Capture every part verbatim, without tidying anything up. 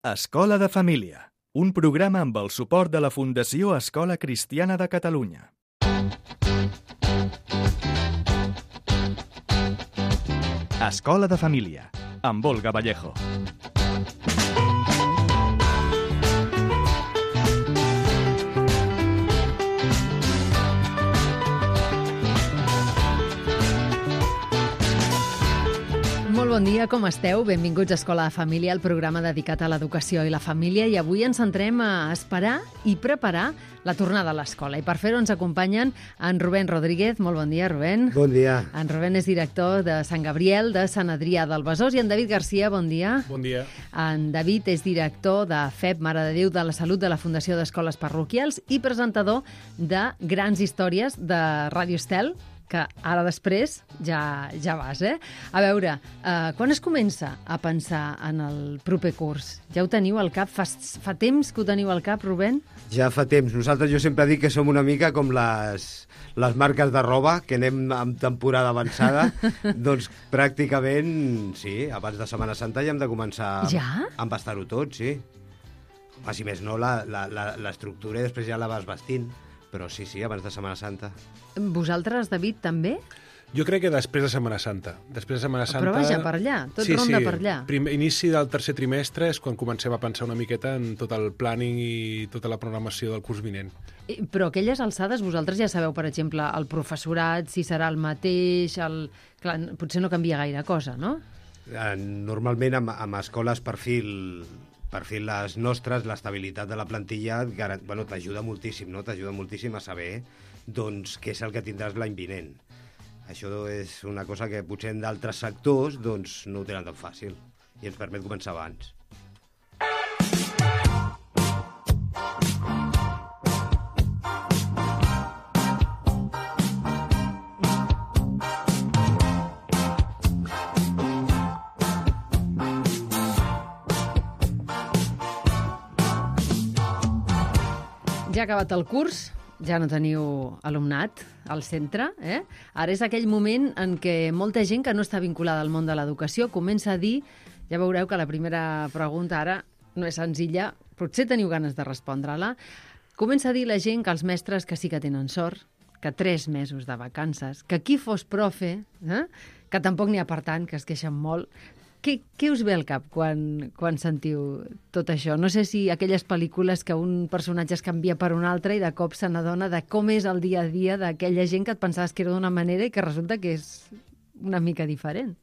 Escola de Família, un programa amb el suport de la Fundació Escola Cristiana de Catalunya. Escola de Família, amb Olga Vallejo. Molt bon dia, com esteu? Benvinguts a Escola de Família, el programa dedicat a l'educació i la família, i avui ens centrem a esperar i preparar la tornada a l'escola. I per fer-ho ens acompanyen en Rubén Rodríguez. Molt bon dia, Rubén. Bon dia. En Rubén és director de Sant Gabriel, de Sant Adrià del Besòs, i en David Garcia, bon dia. Bon dia. En David és director de F E P, Mare de Déu de la Salut de la Fundació d'Escoles Parroquials i presentador de Grans Històries de Ràdio Estel, que ara després ja ja vas, eh? A veure, eh, quan es comença a pensar en el proper curs? Ja ho teniu al cap? Fa, fa temps que ho teniu al cap, Rubén? Ja fa temps. Nosaltres, jo sempre dic que som una mica com les, les marques de roba, que anem amb temporada avançada. Doncs pràcticament, sí, abans de Setmana Santa ja hem de començar ja? a embastar-ho tot, sí. Home, si més no, la, la, la, l'estructura i després ja la vas vestint. Però sí, sí, abans de Setmana Santa. Vosaltres, David, també? Jo crec que després de Setmana Santa. Després de Setmana Santa... Però vaja, per allà, tot sí, ronda sí. per allà. Primer, inici del tercer trimestre és quan comencem a pensar una miqueta en tot el planning i tota la programació del curs vinent. Però a aquelles alçades vosaltres ja sabeu, per exemple, el professorat, si serà el mateix, el... Clar, potser no canvia gaire cosa, no? Normalment, amb, amb escoles perfil... per fi les nostres, l'estabilitat de la plantilla bueno, t'ajuda moltíssim, no? T'ajuda moltíssim a saber doncs, què és el que tindràs l'any vinent. Això és una cosa que potser en d'altres sectors doncs, no ho tenen tan fàcil i ens permet començar abans. Ja ha acabat el curs, ja no teniu alumnat al centre, eh? Ara és aquell moment en què molta gent que no està vinculada al món de l'educació comença a dir, ja veureu que la primera pregunta ara no és senzilla, potser teniu ganes de respondre-la, comença a dir la gent que els mestres que sí que tenen sort, que tres mesos de vacances, que qui fos profe, eh? Que tampoc n'hi ha per tant, que es queixen molt. Què, què us ve al cap quan, quan sentiu tot això? No sé si aquelles pel·lícules que un personatge es canvia per un altre i de cop se n'adona de com és el dia a dia d'aquella gent que et pensaves que era d'una manera i que resulta que és una mica diferent.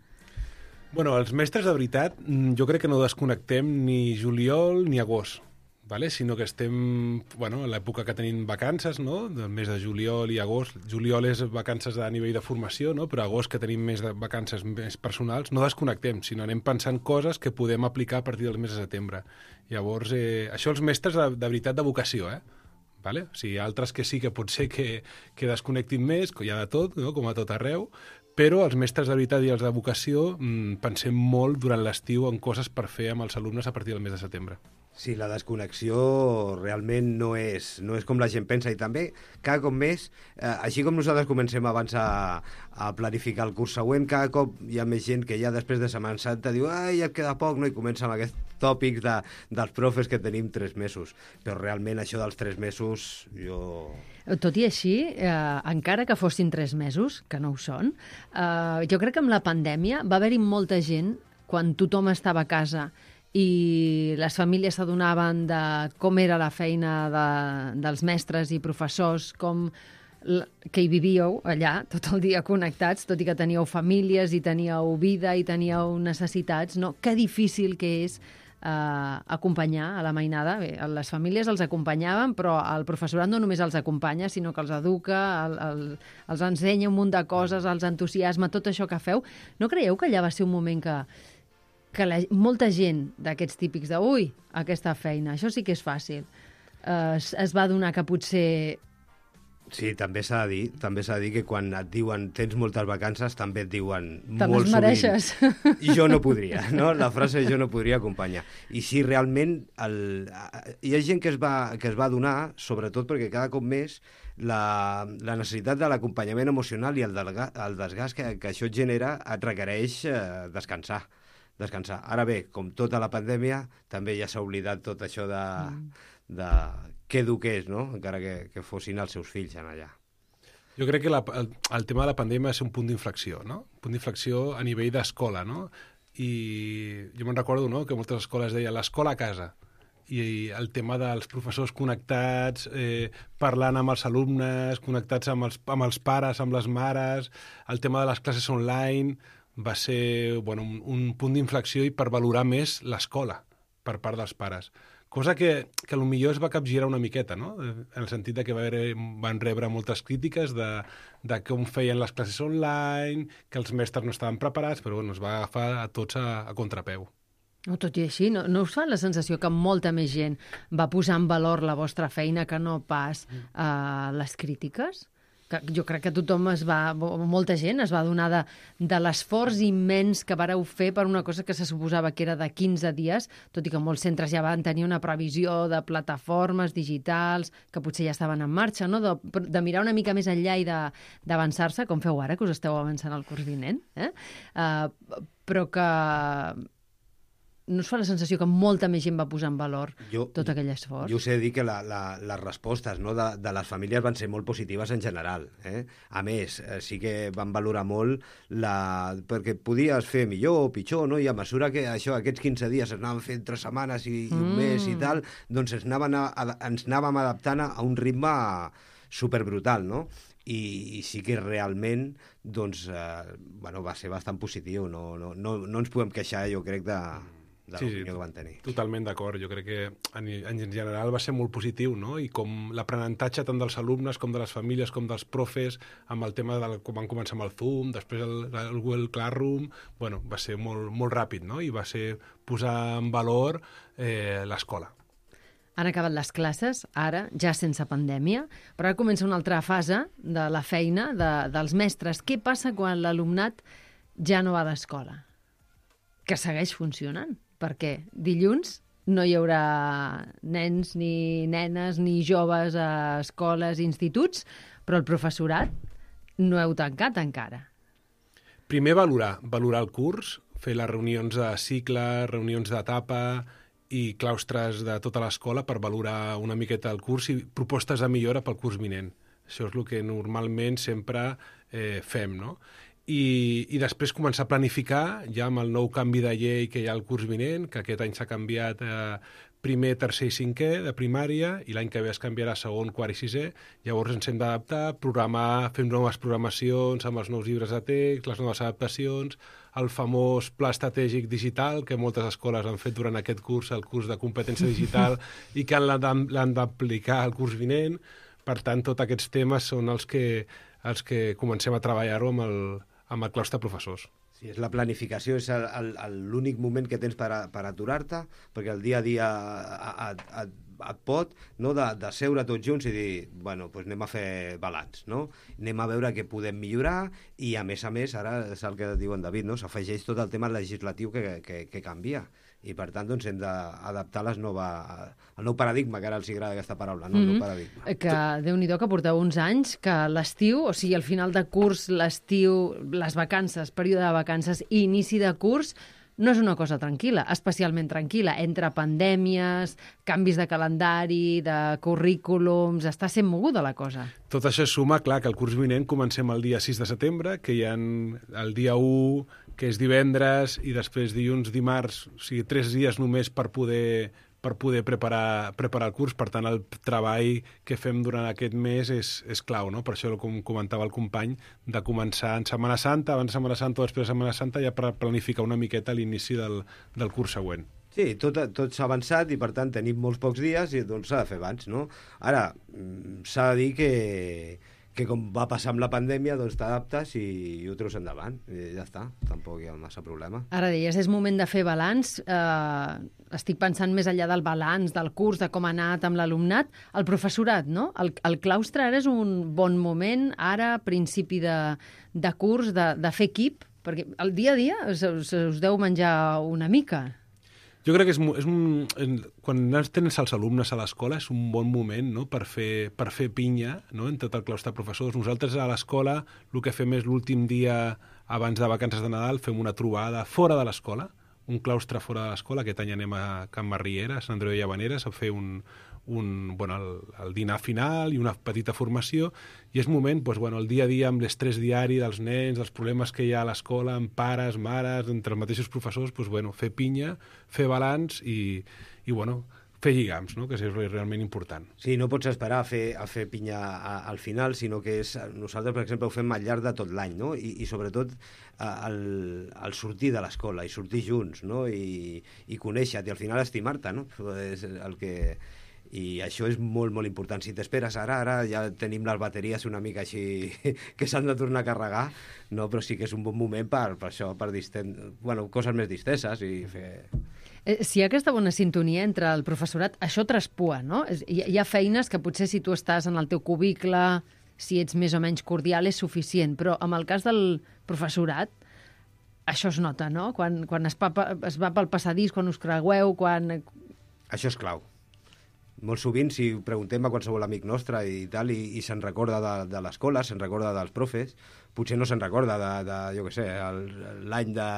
Bueno, els mestres, de veritat, jo crec que no desconnectem ni juliol ni agost, vale? Sinó que estem, bueno, a l'època que tenim vacances, no? Del mes de juliol i agost. Juliol és vacances a nivell de formació, no? Però agost, que tenim més de vacances més personals, no desconnectem, sinó anem pensant coses que podem aplicar a partir del mes de setembre. Llavors, eh, això els mestres de, de veritat de vocació, eh? Vale? O sigui, altres que sí que pot ser que, que desconnectin més, que hi ha de tot, no? Com a tot arreu, però els mestres de veritat i els de vocació mmm, pensem molt durant l'estiu en coses per fer amb els alumnes a partir del mes de setembre. Sí, la desconnexió realment no és, no és com la gent pensa, i també cada cop més, eh, així com nosaltres comencem abans a, a planificar el curs següent, cada cop hi ha més gent que ja després de Setmana Santa diu ai, ja et queda poc, no? I comença amb aquests tòpics de, dels profes que tenim tres mesos. Però realment això dels tres mesos, jo... Tot i així, eh, encara que fossin tres mesos, que no ho són, eh, jo crec que amb la pandèmia va haver-hi molta gent, quan tothom estava a casa i les famílies s'adonaven de com era la feina de, dels mestres i professors, com que hi vivíeu allà tot el dia connectats, tot i que teníeu famílies i teníeu vida i teníeu necessitats, no? Que difícil que és eh, acompanyar a la mainada. Bé, les famílies els acompanyaven, però el professorat no només els acompanya, sinó que els educa, el, el, els ensenya un munt de coses, els entusiasma, tot això que feu. No creieu que allà va ser un moment que que la, molta gent d'aquests típics de ui, aquesta feina, això sí que és fàcil, eh, es, es va adonar que potser... Sí, també s'ha de dir, també s'ha de dir que quan et diuen tens moltes vacances, també et diuen també molt mereixes. Sovint. I jo no podria, no? La frase jo no podria acompanyar. I sí, realment, el, hi ha gent que es va, que es va adonar, sobretot perquè cada cop més la, la necessitat de l'acompanyament emocional i el, delga, el desgast que, que això et genera et requereix eh, descansar. descansar. Ara bé, com tota la pandèmia, també ja s'ha oblidat tot això de, mm. de què eduqués, no? Encara que, que fossin els seus fills en allà. Jo crec que la, el, el tema de la pandèmia és un punt d'inflexió, no? Un punt d'inflexió a nivell d'escola, no? I jo me'n recordo, no?, que moltes escoles deien l'escola a casa, i el tema dels professors connectats, eh, parlant amb els alumnes, connectats amb els, amb els pares, amb les mares, el tema de les classes online va ser, bueno, un, un punt d'inflexió i per valorar més l'escola per part dels pares. Cosa que, que potser es va capgirar una miqueta, no? En el sentit de que va haver, van rebre moltes crítiques de, de com feien les classes online, que els mestres no estaven preparats, però bueno, es va agafar a tots a, a contrapeu. No, tot i així, no, no us fa la sensació que molta més gent va posar en valor la vostra feina que no pas uh, les crítiques? Que jo crec que tothom es va, molta gent es va adonar de, de l'esforç immens que vareu fer per una cosa que se suposava que era de quinze dies, tot i que molts centres ja van tenir una previsió de plataformes digitals que potser ja estaven en marxa, no? de, de mirar una mica més enllà i d'avançar-se, com feu ara, que us esteu avançant al curs vinent, eh? uh, però que no us fa la sensació que molta més gent va posar en valor jo, tot aquell esforç? Jo us he de dir que la, la, les respostes, no, de, de les famílies van ser molt positives en general. Eh? A més, eh, sí que van valorar molt la... perquè podies fer millor o pitjor, no? I a mesura que això, aquests quinze dies es anaven fent tres setmanes i, i un mm. mes i tal, doncs ens, anaven a, a, ens anàvem adaptant a un ritme superbrutal, no? I, i sí que realment doncs, eh, bueno, va ser bastant positiu. No, no, no, no ens podem queixar, jo crec, de... de sí, l'opinió que van tenir. Totalment d'acord. Jo crec que en, en general va ser molt positiu, no? I com l'aprenentatge tant dels alumnes com de les famílies com dels profes, amb el tema de com van començar amb el Zoom, després el, el Google Classroom, bueno, va ser molt, molt ràpid, no? I va ser posar en valor eh, l'escola. Han acabat les classes, ara, ja sense pandèmia, però ara comença una altra fase de la feina de, dels mestres. Què passa quan l'alumnat ja no va a l'escola? Que segueix funcionant, perquè dilluns no hi haurà nens ni nenes ni joves a escoles i instituts, però el professorat no heu tancat encara. Primer valorar, valorar el curs, fer les reunions de cicle, reunions d'etapa i claustres de tota l'escola per valorar una miqueta el curs i propostes de millora pel curs vinent. Això és el que normalment sempre eh, fem, no? I, i després començar a planificar ja amb el nou canvi de llei que hi ha al curs vinent, que aquest any s'ha canviat eh, primer, tercer i cinquè de primària i l'any que ve es canviarà segon, quart i sisè. Llavors ens hem d'adaptar, programar, fer noves programacions amb els nous llibres de text, les noves adaptacions, el famós pla estratègic digital que moltes escoles han fet durant aquest curs, el curs de competència digital, i que l'han d'aplicar al curs vinent. Per tant, tots aquests temes són els que, els que comencem a treballar-ho amb el, amb el claustre professors. Sí, és la planificació, és l'únic moment que tens per, a, per aturar-te, perquè el dia a dia et, et, et pot, no, de, de seure tots junts i dir, bueno, doncs anem a fer balanç, no? Anem a veure què podem millorar i, a més a més, ara és el que diu en David, no? S'afegeix tot el tema legislatiu que, que, que canvia. I, per tant, doncs, hem d'adaptar les nova, el nou paradigma, que ara els agrada aquesta paraula, no? Mm-hmm. El nou paradigma. Que, Déu-n'hi-do, que porteu uns anys, que l'estiu, o sigui, al final de curs, l'estiu, les vacances, període de vacances i inici de curs, no és una cosa tranquil·la, especialment tranquil·la, entre pandèmies, canvis de calendari, de currículums, està sent moguda la cosa. Tot això suma, clar, que el curs vinent comencem el dia sis de setembre, que hi ha el dia u, que és divendres, i després dilluns, dimarts, o sigui, tres dies només per poder, per poder preparar, preparar el curs. Per tant, el treball que fem durant aquest mes és, és clau, no? Per això, com comentava el company, de començar en Setmana Santa, abans de Setmana Santa o després de Setmana Santa, ja per planificar una miqueta l'inici del, del curs següent. Sí, tot, tot s'ha avançat i, per tant, tenim molts pocs dies i doncs s'ha de fer abans, no? Ara, s'ha de dir que, que com va passar amb la pandèmia, doncs t'adaptes i, i ho treus endavant. I ja està, tampoc hi ha massa problema. Ara deies, és moment de fer balanç. Eh, estic pensant més enllà del balanç, del curs, de com ha anat amb l'alumnat. El professorat, no? El, el claustre ara és un bon moment, ara, principi de, de curs, de, de fer equip, perquè el dia a dia us, us deu menjar una mica. Jo crec que és, és un, quan tens els alumnes a l'escola és un bon moment, no?, per fer, per fer pinya, no?, en tot el claustre de professors. Nosaltres a l'escola el que fem és l'últim dia abans de vacances de Nadal fem una trobada fora de l'escola, un claustre fora de l'escola. Aquest any anem a Can Marriera, a Sant Andreu de Llavaneres, a fer un, un, bueno, el, el dinar final i una petita formació, i és moment, doncs, bueno, el dia a dia amb l'estrès diari dels nens, dels problemes que hi ha a l'escola, amb pares, mares, entre els mateixos professors, doncs, bueno, fer pinya, fer balanç i, i bueno, fer lligams, no? Que és realment important. Sí, no pots esperar a fer, a fer pinya a, al final, sinó que és, nosaltres, per exemple, ho fem al llarg de tot l'any, no? I, i sobretot el, el sortir de l'escola i sortir junts, no? I, i conèixer-te i al final estimar-te, no? És el que... I això és molt, molt important. Si t'esperes ara, ara ja tenim les bateries una mica així que s'han de tornar a carregar, no? Però sí que és un bon moment per, per això, per disten... bueno, coses més disteses i fer... Si hi ha aquesta bona sintonia entre el professorat, això traspua, no? Hi, hi ha feines que potser si tu estàs en el teu cubicle, si ets més o menys cordial, és suficient, però en el cas del professorat, això es nota, no? Quan, quan es, pa, es va pel passadís, quan us creueu, quan... Això és clau. Molt sovint, si preguntem a qualsevol amic nostre i tal, i, i se'n recorda de, de l'escola, se'n recorda dels profes, potser no se'n recorda de, de jo què sé, l'any de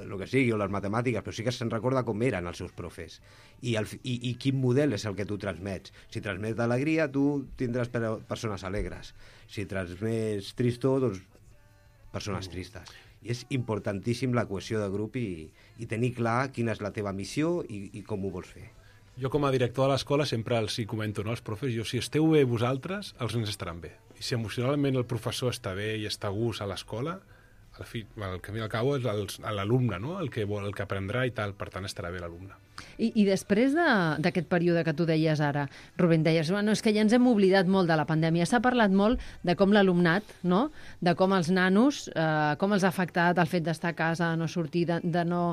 lo que sigui, o les matemàtiques, però sí que se'n recorda com eren els seus profes. I, el, i, i quin model és el que tu transmets. Si transmets alegria, tu tindràs persones alegres. Si transmets tristor, doncs persones tristes. I és importantíssim la cohesió de grup i, i tenir clar quina és la teva missió i, i com ho vols fer. Jo, com a director de l'escola, sempre els hi comento, no, als profes, jo, si esteu bé vosaltres, els nens estaran bé. I si emocionalment el professor està bé i està a gust a l'escola, al fi, el camí al cabo és l'alumne, no? El que vol, el que aprendrà i tal, per tant estarà bé l'alumne. I, I després d'aquest període que tu deies ara, Rubén, deies, bueno, és que ja ens hem oblidat molt de la pandèmia. S'ha parlat molt de com l'alumnat, no? De com els nanos, eh, com els ha afectat el fet d'estar a casa, de no sortir, de, de no...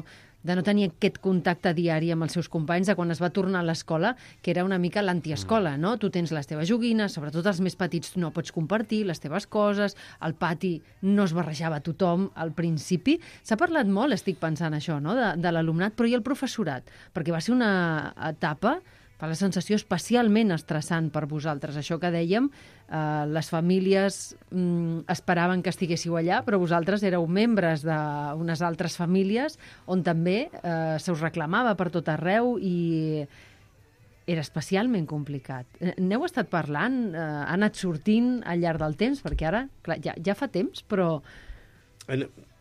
de no tenir aquest contacte diari amb els seus companys, de quan es va tornar a l'escola, que era una mica l'antiescola, no? Tu tens les teves joguines, sobretot els més petits no pots compartir les teves coses, al pati no es barrejava tothom al principi. S'ha parlat molt, estic pensant això, no? de, de l'alumnat, però i el professorat? Perquè va ser una etapa, fa la sensació especialment estressant per vosaltres. Això que dèiem, eh, les famílies mm, esperaven que estiguéssiu allà, però vosaltres éreu membres d'unes altres famílies on també eh, se us reclamava per tot arreu i era especialment complicat. N'heu estat parlant? Eh, ha anat sortint al llarg del temps? Perquè ara, clar, ja, ja fa temps, però...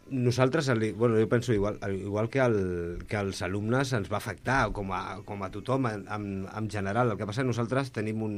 Nosaltres, bueno, jo penso igual, igual que, el, que els alumnes ens va afectar, com a, com a tothom en, en, en general. El que passa és que nosaltres tenim un,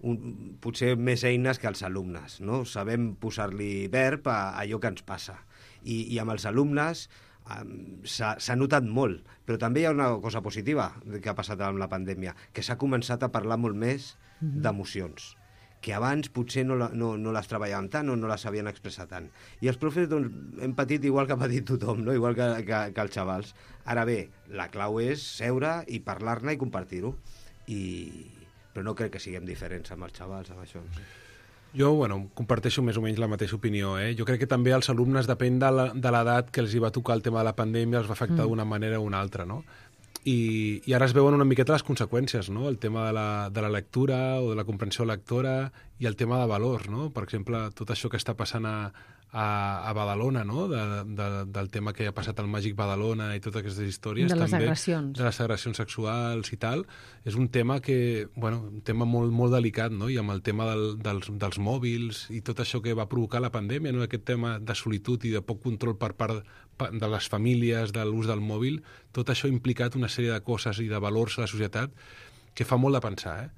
un, potser més eines que els alumnes, no? Sabem posar-li verb a, a allò que ens passa. I, i amb els alumnes um, s'ha notat molt, però també hi ha una cosa positiva que ha passat amb la pandèmia, que s'ha començat a parlar molt més mm-hmm. d'emocions, que abans potser no, la, no, no les treballàvem tant o no les sabien expressar tant. I els profes doncs, hem patit igual que ha patit tothom, no? Igual que, que, que els xavals. Ara bé, la clau és seure i parlar-ne i compartir-ho. I... Però no crec que siguem diferents amb els xavals, amb això. No sé. Jo, bueno, comparteixo més o menys la mateixa opinió. Eh? Jo crec que també als alumnes, depèn de l'edat que els hi va tocar el tema de la pandèmia, els va afectar mm. d'una manera o una altra, no? I, i ara es veuen una miqueta les conseqüències, no? El tema de la, de la lectura o de la comprensió lectora i el tema de valors, no? Per exemple, tot això que està passant a, a, a Badalona, no? De, de, del tema que ha passat al Màgic Badalona i totes aquestes històries. De les també, agressions. De les agressions sexuals i tal. És un tema que, bueno, un tema molt, molt delicat, no? I amb el tema del, dels, dels mòbils i tot això que va provocar la pandèmia, no? Aquest tema de solitud i de poc control per part de les famílies, de l'ús del mòbil, tot això ha implicat una sèrie de coses i de valors a la societat que fa molt de pensar, eh?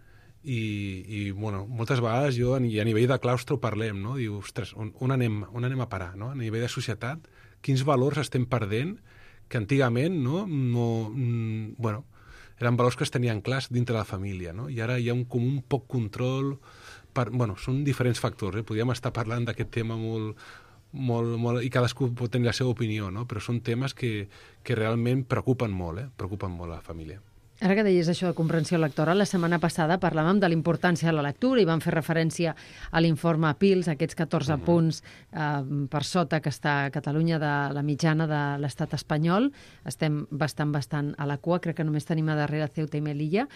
I, i bueno, moltes vegades jo, i a nivell de claustre ho parlem, no? Diu, ostres, on, on, anem, on anem a parar, no? A nivell de societat, quins valors estem perdent que antigament, no? no mm, bueno, eren valors que es tenien clars dintre de la família, no? I ara hi ha un, com un poc control, per, bueno, són diferents factors, eh? Podríem estar parlant d'aquest tema molt... Molt, molt, i cadascú pot tenir la seva opinió, no? Però són temes que, que realment preocupen molt, eh? Preocupen molt a la família. Ara que deies això de comprensió lectora, la setmana passada parlàvem de la importància de la lectura i vam fer referència a l'informe P I L S, aquests catorze uh-huh. punts eh, per sota que està a Catalunya de la mitjana de l'estat espanyol. Estem bastant, bastant a la cua, crec que només tenim a darrere Ceuta i Melilla,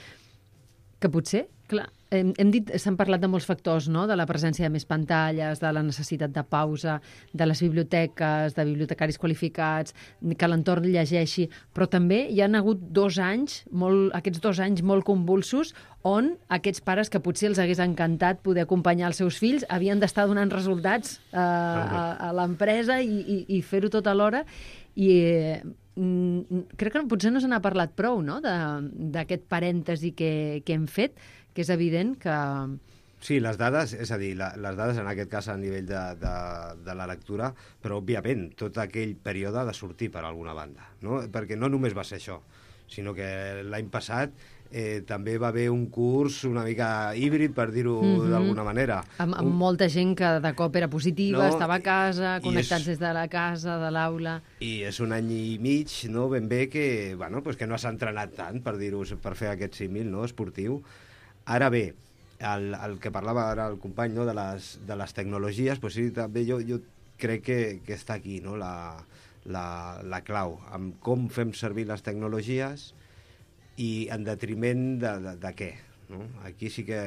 que potser, clar, hem, hem dit, s'han parlat de molts factors, no?, de la presència de més pantalles, de la necessitat de pausa, de les biblioteques, de bibliotecaris qualificats, que l'entorn llegeixi, però també hi han hagut dos anys, molt, aquests dos anys molt convulsos, on aquests pares que potser els hagués encantat poder acompanyar els seus fills havien d'estar donant resultats eh, a, a l'empresa i, i, i fer-ho tot alhora. I eh, crec que potser no se n'ha parlat prou, no?, d'aquest parèntesi que, que hem fet, que és evident que... Sí, les dades, és a dir, la, les dades en aquest cas a nivell de, de, de la lectura, però òbviament tot aquell període ha de sortir per alguna banda, no? Perquè no només va ser això, sinó que l'any passat eh, també va haver un curs una mica híbrid, per dir-ho mm-hmm. d'alguna manera. Amb, amb un... molta gent que de cop era positiva, no, estava a casa, connectats és... des de la casa, de l'aula... I és un any i mig, no?, ben bé, que, bueno, pues que no s'ha entrenat tant, per dir-ho, per fer aquest símil, no?, esportiu. Ara bé, el, el que parlava ara el company, no?, de les, de les tecnologies, pues sí, també jo, jo crec que, que està aquí, no?, la, la, la clau, amb com fem servir les tecnologies i en detriment de, de, de què, no? Aquí sí que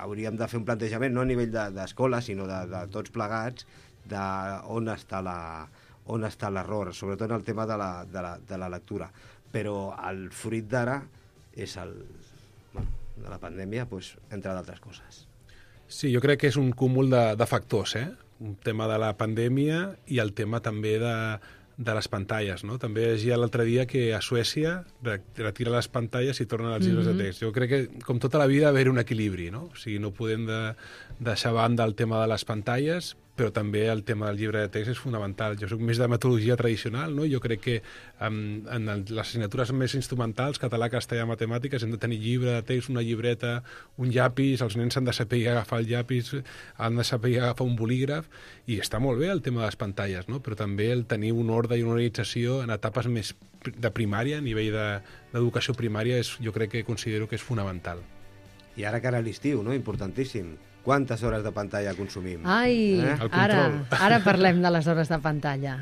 hauríem de fer un plantejament, no a nivell d'escola, de, sinó de, de tots plegats, de on està la, on està l'error, sobretot en el tema de la, de la, de la lectura. Però el fruit d'ara és el... Bueno, de la pandèmia, pues, entre d'altres coses. Sí, jo crec que és un cúmul de, de factors, eh? Un tema de la pandèmia i el tema també de, de les pantalles, no? També llegia l'altre dia que a Suècia retira les pantalles i tornen als llibres mm-hmm. de text. Jo crec que, com tota la vida, haver un equilibri, no? O sigui, no podem de, deixar a banda el tema de les pantalles, però també el tema del llibre de text és fonamental. Jo soc més de metodologia tradicional, no? Jo crec que um, en el, les assignatures més instrumentals, català, castellà, matemàtiques, hem de tenir llibre de text, una llibreta, un llapis, els nens han de saber agafar el llapis, han de saber agafar un bolígraf, i està molt bé el tema de les pantalles, no? Però també el tenir un ordre i una organització en etapes més de primària, a nivell d'educació de, primària, és, jo crec que considero que és fonamental. I ara cara a l'estiu, no? Importantíssim. Quantes hores de pantalla consumim? Ai, eh? ara, ara parlem de les hores de pantalla.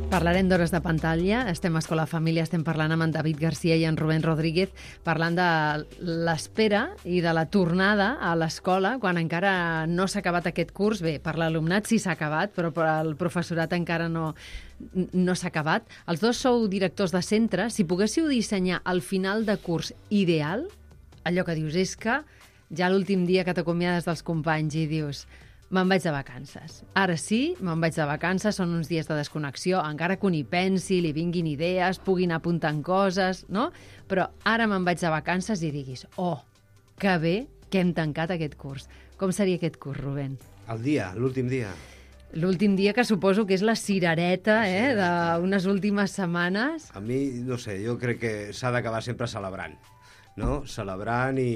Parlarem d'hores de pantalla. Estem a Escola Família, estem parlant amb en David Garcia i en Rubén Rodríguez, parlant de l'espera i de la tornada a l'escola, quan encara no s'ha acabat aquest curs. Bé, per l'alumnat sí s'ha acabat, però per al professorat encara no, no s'ha acabat. Els dos sou directors de centre. Si poguéssiu dissenyar el final de curs ideal, allò que dius és que ja l'últim dia que t'acomiades dels companys i dius... Me'n vaig de vacances. Ara sí, me'n vaig de vacances, són uns dies de desconnexió, encara que un hi pensi, li vinguin idees, puguin apuntant coses, no? Però ara me'n vaig de vacances i diguis, oh, que bé que hem tancat aquest curs. Com seria aquest curs, Rubén? El dia, l'últim dia. L'últim dia, que suposo que és la cirereta, eh, d'unes últimes setmanes. A mi, no sé, jo crec que s'ha d'acabar sempre celebrant, no? Celebrant i,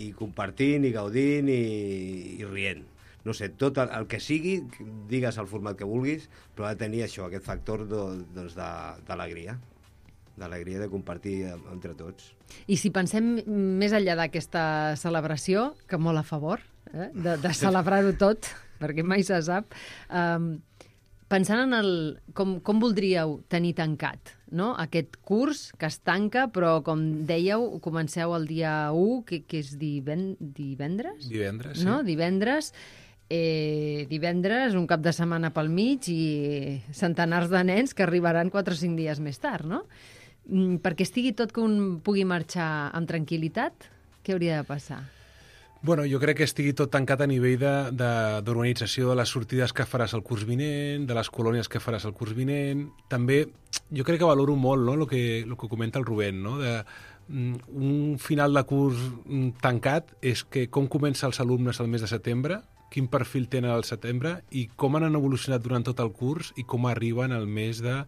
i compartint i gaudint i, i rient. No sé, tot el, el que sigui, digues el format que vulguis, però ha de tenir això, aquest factor doncs, d'alegria, d'alegria de compartir entre tots. I si pensem més enllà d'aquesta celebració, que molt a favor, eh, de, de celebrar-ho tot, perquè mai se sap, um, pensant en el, com, com voldríeu tenir tancat, no?, aquest curs que es tanca, però, com dèieu, comenceu el dia u, que, que és diven, divendres? Divendres, sí. No? Divendres. Eh, divendres, un cap de setmana pel mig i centenars de nens que arribaran quatre o cinc dies més tard, no? Mm, perquè estigui tot que un pugui marxar amb tranquil·litat, què hauria de passar? Bueno, jo crec que estigui tot tancat a nivell d'organització de, de, de les sortides que faràs el curs vinent, de les colònies que faràs el curs vinent. També jo crec que valoro molt, no?, el que, el que comenta el Rubén, no?, de un final de curs tancat és que com comença els alumnes al mes de setembre, quin perfil tenen al setembre i com han evolucionat durant tot el curs i com arriben al mes de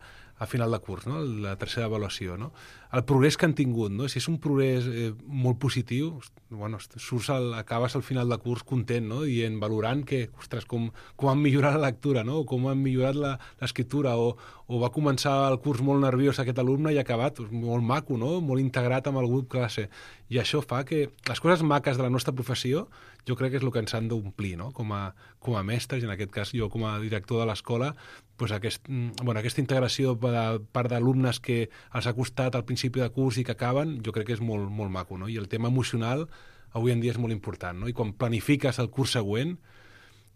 a final de curs, no?, la tercera avaluació, no? el progrés que han tingut, no? Si és un progrés eh, molt positiu, bueno, surts al, acabes al final de curs content, no? Dient, valorant que, ostres, com, com han millorat la lectura, no? O com han millorat l'escriptura, o, o va començar el curs molt nerviós aquest alumne i ha acabat molt maco, no? Molt integrat amb el grup classe. I això fa que les coses maques de la nostra professió jo crec que és el que ens han d'omplir, no? Com a, com a mestres, i en aquest cas jo com a director de l'escola, doncs aquest, bueno, aquesta integració de part d'alumnes que els ha costat al principi de curs i que acaben, jo crec que és molt, molt maco, no? I el tema emocional avui en dia és molt important, no? I quan planifiques el curs següent,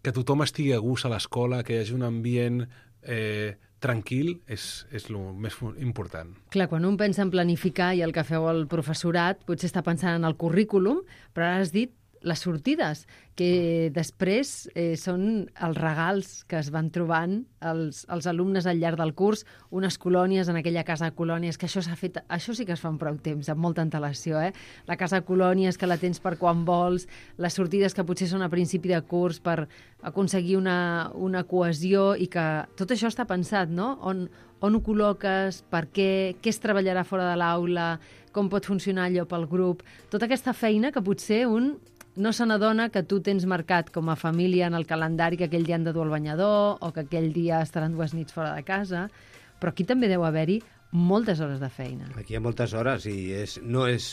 que tothom estigui a gust a l'escola, que hi hagi un ambient eh, tranquil, és, és el més important. Clar, quan un pensa en planificar i el que feu el professorat, potser està pensant en el currículum, però ara has dit les sortides, que després eh, són els regals que es van trobant els, els alumnes al llarg del curs, unes colònies en aquella casa de colònies, que això s'ha fet, això sí que es fa en prou temps, amb molta antelació, eh? La casa de colònies que la tens per quan vols, les sortides que potser són a principi de curs per aconseguir una, una cohesió, i que tot això està pensat, no? On, on ho col·loques, per què, què es treballarà fora de l'aula, com pot funcionar allò pel grup, tota aquesta feina que potser un no se n'adona que tu tens marcat com a família en el calendari que aquell dia han de dur el banyador o que aquell dia estaran dues nits fora de casa, però aquí també deu haver-hi moltes hores de feina. Aquí hi ha moltes hores i és, no és...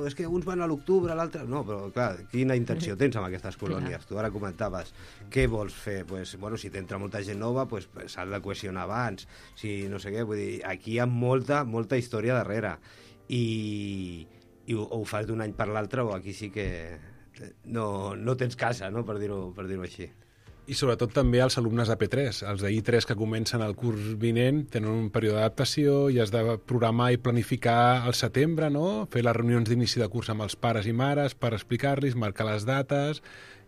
És que uns van a l'octubre, l'altre... No, però clar, quina intenció tens amb aquestes colònies? Tu ara comentaves, què vols fer? Pues, bueno, si t'entra molta gent nova, pues, s'ha de cohesionar abans. Si no sé què, vull dir, aquí hi ha molta, molta història darrere. I, i o, o ho fas d'un any per l'altre o aquí sí que... No, no tens casa, no? Per dir-ho per dir-ho així. I sobretot també els alumnes de P tres, els de I tres que comencen el curs vinent, tenen un període d'adaptació i has de programar i planificar al setembre, no? Fer les reunions d'inici de curs amb els pares i mares per explicar-los, marcar les dates,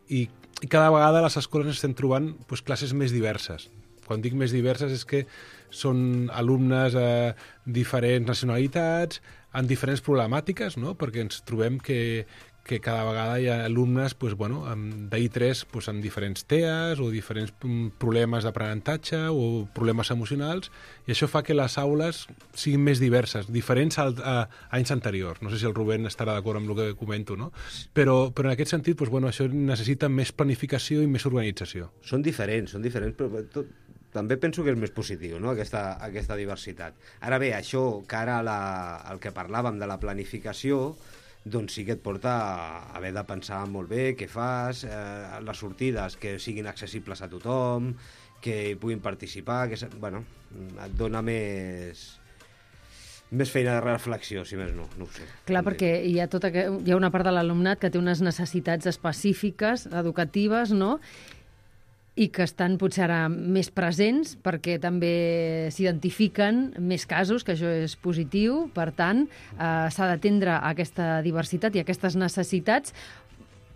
i, i cada vegada a les escoles estem trobant doncs, classes més diverses. Quan dic més diverses és que són alumnes de diferents nacionalitats, amb diferents problemàtiques, no? Perquè ens trobem que que cada vegada hi ha alumnes doncs, bueno, d'I tres doncs, amb diferents T E As o diferents problemes d'aprenentatge o problemes emocionals, i això fa que les aules siguin més diverses, diferents a, a, a anys anteriors. No sé si el Rubén estarà d'acord amb el que comento, no? Però, però en aquest sentit, doncs, bueno, això necessita més planificació i més organització. Són diferents, són diferents, però tot, també penso que és més positiu, no?, aquesta, aquesta diversitat. Ara bé, això, que ara la, el que parlàvem de la planificació, doncs sí que et porta a haver de pensar molt bé què fas, eh, les sortides que siguin accessibles a tothom, que hi puguin participar, que, bueno, et dona més, més feina de reflexió, si més no, no ho sé. Clar, perquè hi ha, tota, hi ha una part de l'alumnat que té unes necessitats específiques, educatives, no?, i que estan potser ara més presents perquè també s'identifiquen més casos, que això és positiu. Per tant, eh, s'ha d'atendre aquesta diversitat i aquestes necessitats,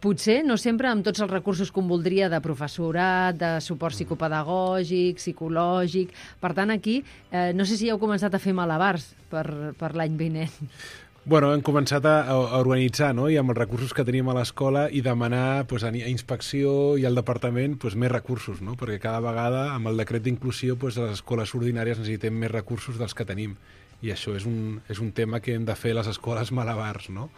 potser no sempre amb tots els recursos que un voldria de professorat, de suport psicopedagògic, psicològic. Per tant, aquí, eh, no sé si ja heu començat a fer malabars per, per l'any vinent. Bueno, hem començat a, a organitzar, no?, i amb els recursos que tenim a l'escola i demanar pues, a, a inspecció i al departament pues, més recursos, no?, perquè cada vegada amb el decret d'inclusió pues, les escoles ordinàries necessitem més recursos dels que tenim, i això és un, és un tema que hem de fer les escoles malabars, no?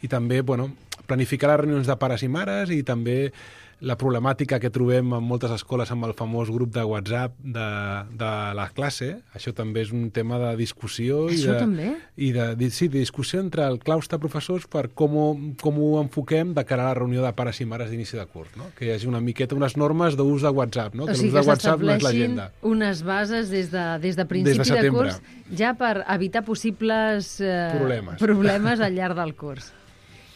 I també, bueno, planificar les reunions de pares i mares i també la problemàtica que trobem en moltes escoles amb el famós grup de WhatsApp de, de la classe. Això també és un tema de discussió. Això i de, també? I de, de, sí, de discussió entre el claustre professors per com ho, com ho enfoquem de cara a la reunió de pares i mares d'inici de curs, no? Que hi hagi una miqueta, unes normes d'ús de WhatsApp, no? O Que sigui, l'ús de que WhatsApp no és l'agenda. unes bases des de, des de principi Des de de curs ja per evitar possibles eh, Problemes. problemes al llarg del curs.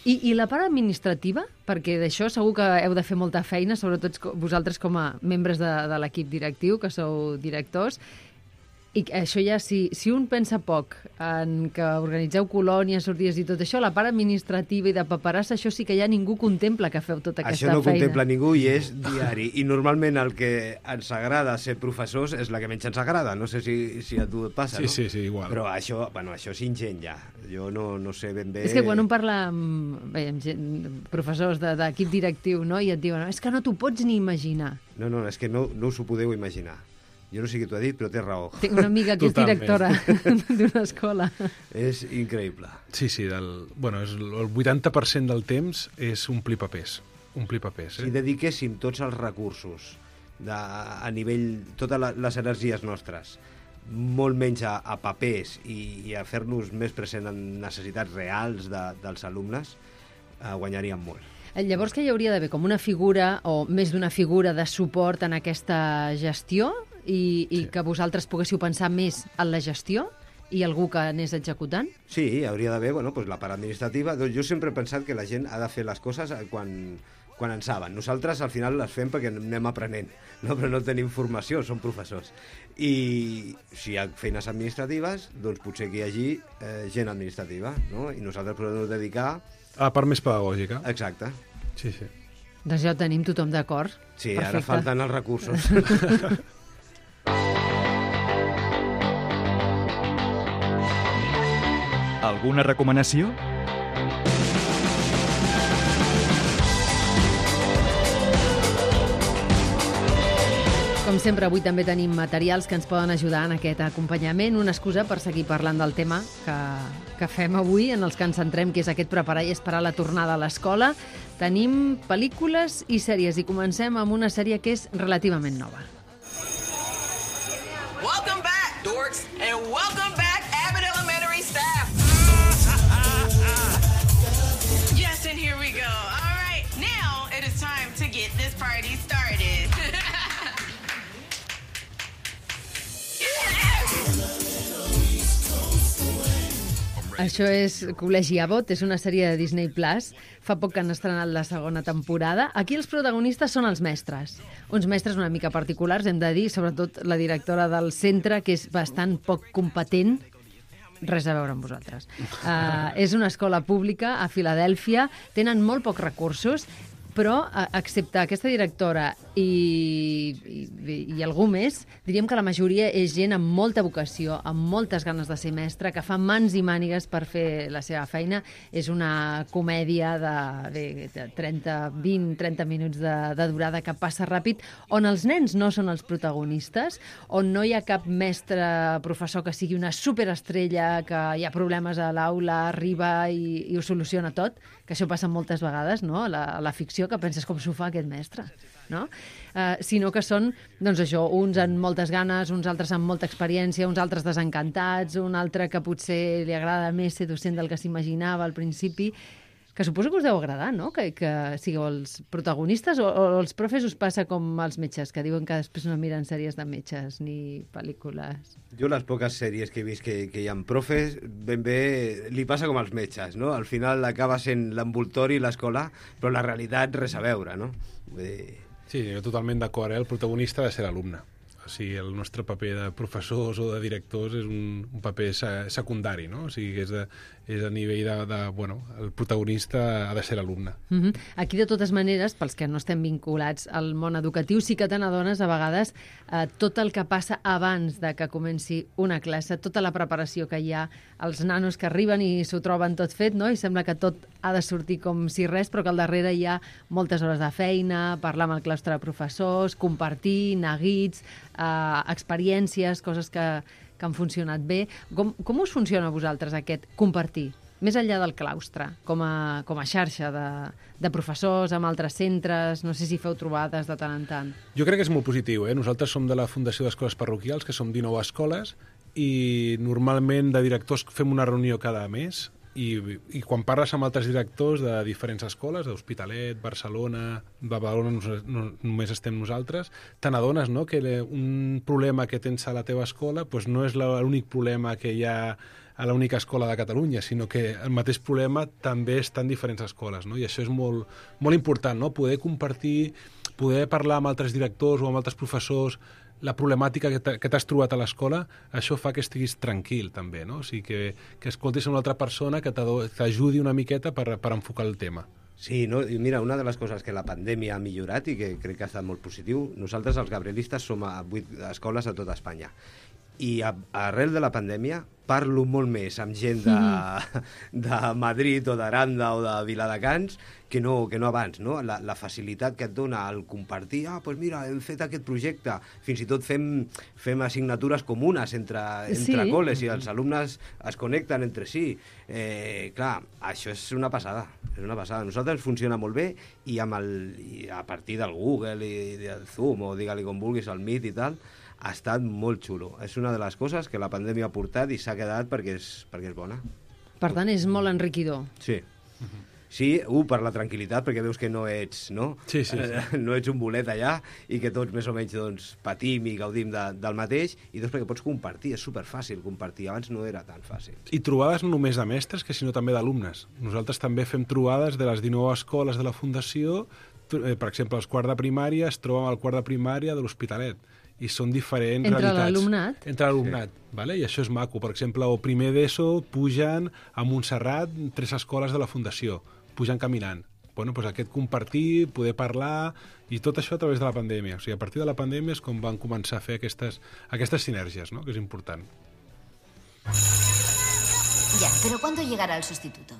I, I la part administrativa? Perquè d'això segur que heu de fer molta feina, sobretot vosaltres com a membres de, de l'equip directiu, que sou directors. I això ja, si, si un pensa poc en que organitzeu colònies, sortides i tot això, la part administrativa i de paperassa, això sí que ja ningú contempla que feu tota aquesta feina. Això no contempla ningú i és diari. I normalment el que ens agrada ser professors és la que menys ens agrada. No sé si, si a tu et passa, sí, no? Sí, sí, igual. Però això, bueno, això és ingent ja. Jo no, no sé ben bé... És que quan un parla amb, bé, amb gent, professors d'equip de, directiu, no?, i et diuen, és que no t'ho pots ni imaginar. No, no, és que no, no us ho podeu imaginar. Jo no sé qui t'ho ha dit, però té raó. Tinc una amiga que és directora d'una escola. És increïble. Sí, sí, del, bueno, és el vuitanta per cent del temps és omplir papers. Omplir papers, eh? Si dediquéssim tots els recursos de, a nivell, totes les energies nostres, molt menys a, a papers i, i a fer-nos més present en necessitats reals de, dels alumnes, eh, guanyaríem molt. Llavors, que hi hauria d'haver com una figura o més d'una figura de suport en aquesta gestió i, i sí. que vosaltres poguéssiu pensar més en la gestió i algú que anés executant? Sí, hauria d'haver bueno, pues la part administrativa. Jo sempre he pensat que la gent ha de fer les coses quan, quan en saben. Nosaltres al final les fem perquè anem aprenent, no? Però no tenim formació, som professors. I si hi ha feines administratives, doncs potser que hi hagi eh, gent administrativa, no? I nosaltres podem dedicar... A la part més pedagògica. Exacte. Sí, sí. Doncs ja ho tenim tothom d'acord. Sí, perfecte. Ara falten els recursos. Alguna recomanació? Com sempre, avui també tenim materials que ens poden ajudar en aquest acompanyament, una excusa per seguir parlant del tema que, que fem avui, en els que ens centrem, que és aquest preparar i esperar la tornada a l'escola. Tenim pel·lícules i sèries i comencem amb una sèrie que és relativament nova. Welcome back, dorks, and welcome back, Abbott Elementary staff. Yes, and here we go. All right, now it is time to get this party started. Això és Col·legi Abbott, és una sèrie de Disney Plus. Fa poc que han estrenat la segona temporada. Aquí els protagonistes són els mestres. Uns mestres una mica particulars, hem de dir, sobretot la directora del centre, que és bastant poc competent. Res a veure amb vosaltres. Uh, és una escola pública a Filadèlfia, tenen molt pocs recursos, però, excepte aquesta directora i, i, i algú més, diríem que la majoria és gent amb molta vocació, amb moltes ganes de ser mestre, que fa mans i mànigues per fer la seva feina. És una comèdia de, de trenta, vint, trenta minuts de, de durada que passa ràpid, on els nens no són els protagonistes, on no hi ha cap mestre professor que sigui una superestrella, que hi ha problemes a l'aula, arriba i, i ho soluciona tot, que això passa moltes vegades, no?, a la, a la ficció, que penses com s'ho fa aquest mestre, no? Uh, sinó que són, doncs això, uns amb moltes ganes, uns altres amb molta experiència, uns altres desencantats, un altre que potser li agrada més ser docent del que s'imaginava al principi, que suposo que us deu agradar, no?, que, que sigueu els protagonistes, o, o els profes us passa com als metges, que diuen que després no miren sèries de metges ni pel·lícules. Jo les poques sèries que he vist que, que hi ha profes, ben bé li passa com als metges, no? Al final acaba sent l'envoltori i l'escola, però la realitat res a veure, no? Vull dir... Sí, jo totalment d'acord, eh? El protagonista ha de ser l'alumne. O sigui, el nostre paper de professors o de directors és un, un paper secundari, no? O sigui, és, de, és a nivell de, de... Bueno, el protagonista ha de ser l'alumne. Mm-hmm. Aquí, de totes maneres, pels que no estem vinculats al món educatiu, sí que te n'adones a vegades eh, tot el que passa abans de que comenci una classe, tota la preparació que hi ha, els nanos que arriben i s'ho troben tot fet, no?, i sembla que tot ha de sortir com si res, però que al darrere hi ha moltes hores de feina, parlar amb el claustre de professors, compartir, neguits, Uh, experiències, coses que, que han funcionat bé. Com, com us funciona a vosaltres aquest compartir? Més enllà del claustre, com a, com a xarxa de, de professors amb altres centres, no sé si feu trobades de tant en tant. Jo crec que és molt positiu, eh? Nosaltres som de la Fundació d'Escoles Parroquials, que som dinou escoles, i normalment de directors fem una reunió cada mes, I, i quan parles amb altres directors de diferents escoles, d'Hospitalet, Barcelona, Badalona, no, no, només estem nosaltres, te n'adones, no?, que un problema que tens a la teva escola pues no és l'únic problema que hi ha a l'única escola de Catalunya, sinó que el mateix problema també està en diferents escoles, no? I això és molt, molt important, no?, poder compartir, poder parlar amb altres directors o amb altres professors la problemàtica que t'has trobat a l'escola, això fa que estiguis tranquil, també, no? O sigui, que, que escoltis una altra persona que t'ajudi una miqueta per, per enfocar el tema. Sí, no? I mira, una de les coses que la pandèmia ha millorat i que crec que ha estat molt positiu, nosaltres els gabrielistes som a vuit escoles a tota Espanya I a, arrel de la pandèmia parlo molt més amb gent de, de Madrid o d'Aranda o de Viladecans que no, que no abans, no? La, la facilitat que et dona el compartir, ah, doncs mira, hem fet aquest projecte, fins i tot fem, fem assignatures comunes entre, entre Sí. col·les i els alumnes es connecten entre si. Eh, clar, això és una passada, és una passada. A nosaltres funciona molt bé i, amb el, i a partir del Google i del Zoom o digue-li com vulguis, el Meet i tal, ha estat molt xulo. És una de les coses que la pandèmia ha portat i s'ha quedat perquè és, perquè és bona. Per tant, és molt enriquidor. Sí. Sí, un, per la tranquil·litat, perquè veus que no ets, no? Sí, sí, sí. No ets un bolet allà i que tots més o menys doncs, patim i gaudim de, del mateix, i dos, perquè pots compartir, és superfàcil compartir, abans no era tan fàcil. I trobades no només de mestres, que sinó també d'alumnes. Nosaltres també fem trobades de les dinou escoles de la Fundació, eh, per exemple, els quarts de primària es troben al quart de primària de l'Hospitalet, i són diferents Entre realitats. l'alumnat? Entre l'alumnat, sí. Vale? I això és maco. Per exemple, el primer d'ESO pugen a Montserrat tres escoles de la Fundació, pugen caminant. Bueno, doncs aquest compartir, poder parlar, i tot això a través de la pandèmia. O sigui, a partir de la pandèmia és com van començar a fer aquestes, aquestes sinergies, no? Que és important. Ya, pero ¿cuándo llegará el sustituto?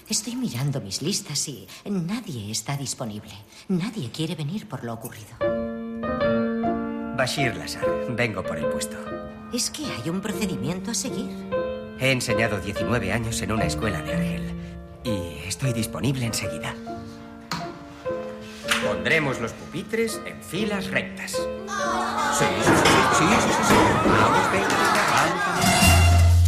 Estoy mirando mis listas y nadie está disponible. Nadie quiere venir por lo ocurrido. Bashir Lazar, vengo por el puesto. ¿Es que hay un procedimiento a seguir? He enseñado diecinueve años en una escuela de Argel y estoy disponible enseguida. Pondremos los pupitres en filas rectas. Sí, sí, sí, sí, sí, sí, sí. Vamos, venga, venga, vamos.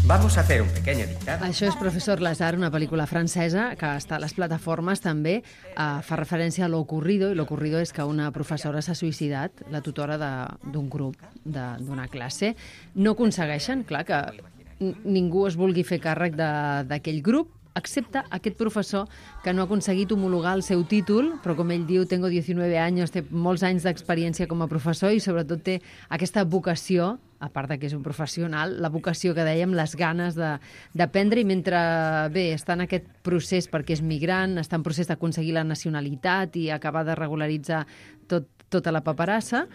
Vamos a hacer un pequeño dictado. Això és Professor Lazar, una pel·lícula francesa que està a les plataformes també. Uh, fa referència a l'ocurrido, i l'ocurrido és que una professora s'ha suïcidat, la tutora d'un grup, d'una classe. No aconsegueixen, clar, que ningú es vulgui fer càrrec d'aquell grup, excepte aquest professor que no ha aconseguit homologar el seu títol, però com ell diu, tengo diecinueve anys, té molts anys d'experiència com a professor i sobretot té aquesta vocació, a part de que és un professional, la vocació que dèiem, les ganes d'aprendre, i mentre, bé, està en aquest procés perquè és migrant, està en procés d'aconseguir la nacionalitat i acabar de regularitzar tot, tota la paperassa,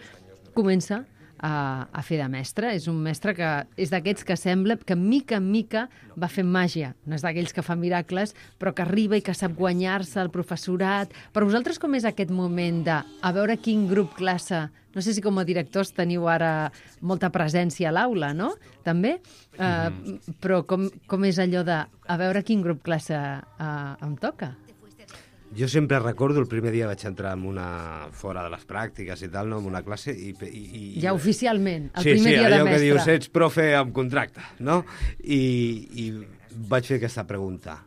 comença a, a fer de mestre. És un mestre que és d'aquests que sembla que mica en mica va fent màgia. No és d'aquells que fa miracles, però que arriba i que sap guanyar-se el professorat. Per vosaltres com és aquest moment de a veure quin grup classe... No sé si com a directors teniu ara molta presència a l'aula, no? També? Uh, mm. Però com, com és allò de a veure quin grup classe uh, em toca? Jo sempre recordo el primer dia vaig entrar en una, fora de les pràctiques i tal, no? En una classe i... i, i ja oficialment, el sí, primer sí, dia de mestre. Sí, sí, allò que dius, ets profe amb contracte, no? I, i vaig fer aquesta pregunta.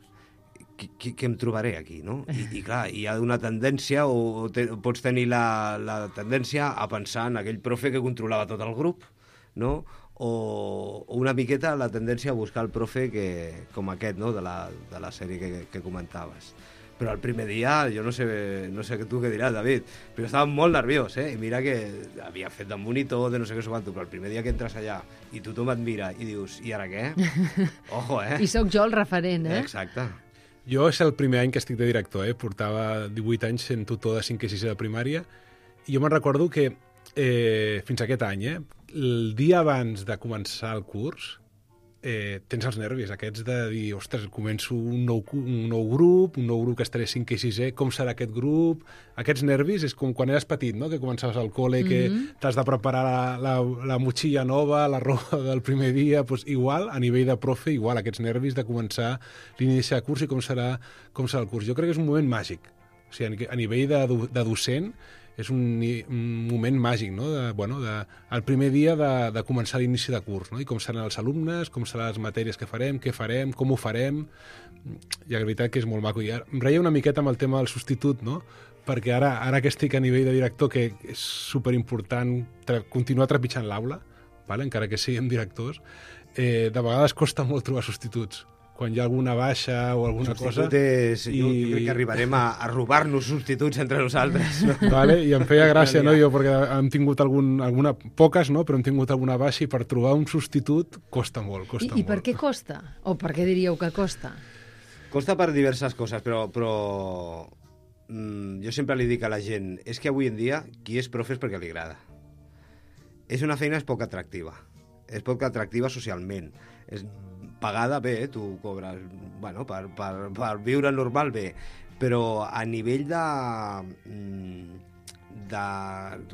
Què, què em trobaré aquí, no? I, i clar, hi ha una tendència, o, o, te, o pots tenir la, la tendència a pensar en aquell profe que controlava tot el grup, no? O, o una miqueta la tendència a buscar el profe que, com aquest, no? De la, de la sèrie que, que comentaves. Però el primer dia, jo no sé, no sé tu què diràs, David, però estava molt nerviós, eh? I mira que havia fet de monitor, de no sé què, quanto, però el primer dia que entres allà i tothom et mira i dius, i ara què? Ojo, eh? I sóc jo el referent, eh? Exacte. Jo és el primer any que estic de director, eh? Portava divuit anys sent tutor de cinquè i sisè de primària, i jo me'n recordo que eh, fins aquest any, eh, el dia abans de començar el curs, eh, tens els nervis aquests de dir, ostres, començo un nou, un nou grup, un nou grup que estaré cinquè i sisè, com serà aquest grup? Aquests nervis és com quan eres petit, no? Que començaves al col·le, que mm-hmm. t'has de preparar la, la, la motxilla nova, la roba del primer dia, doncs igual, a nivell de profe, igual, aquests nervis de començar l'inici de curs i com serà, com serà el curs. Jo crec que és un moment màgic. O sigui, a nivell de, de docent, és un, un moment màgic, no? De, bueno, de, el primer dia de, de començar l'inici de curs, no? I com seran els alumnes, com seran les matèries que farem, què farem, com ho farem, i la veritat que és molt maco. I ara, em reia una miqueta amb el tema del substitut, no? Perquè ara, ara que estic a nivell de director, que és superimportant tra continuar trepitjant l'aula, vale? Encara que siguem directors, eh, de vegades costa molt trobar substituts. Quan hi ha alguna baixa o alguna cosa... És, i... jo, jo crec que arribarem a, a robar-nos substituts entre nosaltres. No? Vale, i em feia gràcia, no, jo, perquè hem tingut algun, alguna, poques, no, però hem tingut alguna baixa i per trobar un substitut costa molt, costa I, molt. I per què costa? O per què diríeu que costa? Costa per diverses coses, però, però mm, jo sempre li dic a la gent, és que avui en dia qui és profe és perquè li agrada. És una feina és poc atractiva. és poc atractiva socialment. És pagada bé, tu cobres, bueno, per, per, per viure normal bé, però a nivell de, de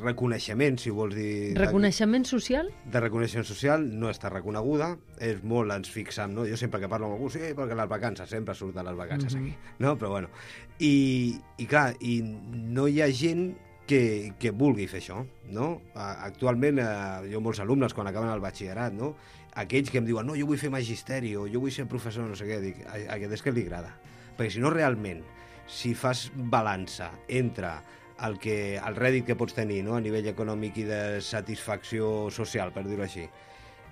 reconeixement, si vols dir... Reconeixement social? De reconeixement social no està reconeguda, és molt, ens fixem, no? Jo sempre que parlo amb algú, sí, perquè les vacances, sempre surten les vacances Mhm. aquí, no? Però bueno, i, i clar, i no hi ha gent que, que vulgui fer això, no? A- Actualment, eh, jo molts alumnes, quan acaben el batxillerat, no? Aquells que em diuen, no, jo vull fer magisteri, o jo vull ser professor, no sé què, dic, a, a aquest és que li agrada. Perquè si no, realment, si fas balança entre el, que, el rèdit que pots tenir, no?, a nivell econòmic i de satisfacció social, per dir-ho així,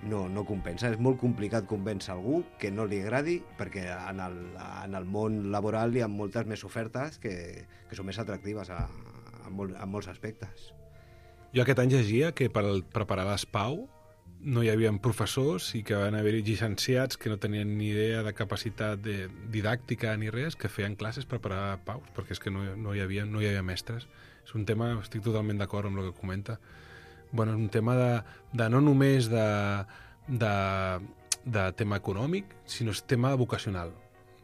no, no compensa. És molt complicat convèncer algú que no li agradi, perquè en el, en el món laboral hi ha moltes més ofertes que, que són més atractives a, a, molt, a molts aspectes. Jo aquest any llegia que per al- preparar l'ESPAU no hi havia professors i que van haver-hi llicenciats que no tenien ni idea de capacitat de didàctica ni res, que feien classes per preparar paus, perquè és que no, no, hi havia, no hi havia mestres. És un tema, estic totalment d'acord amb el que comenta. Bueno, és un tema de, de no només de, de, de tema econòmic, sinó és tema vocacional.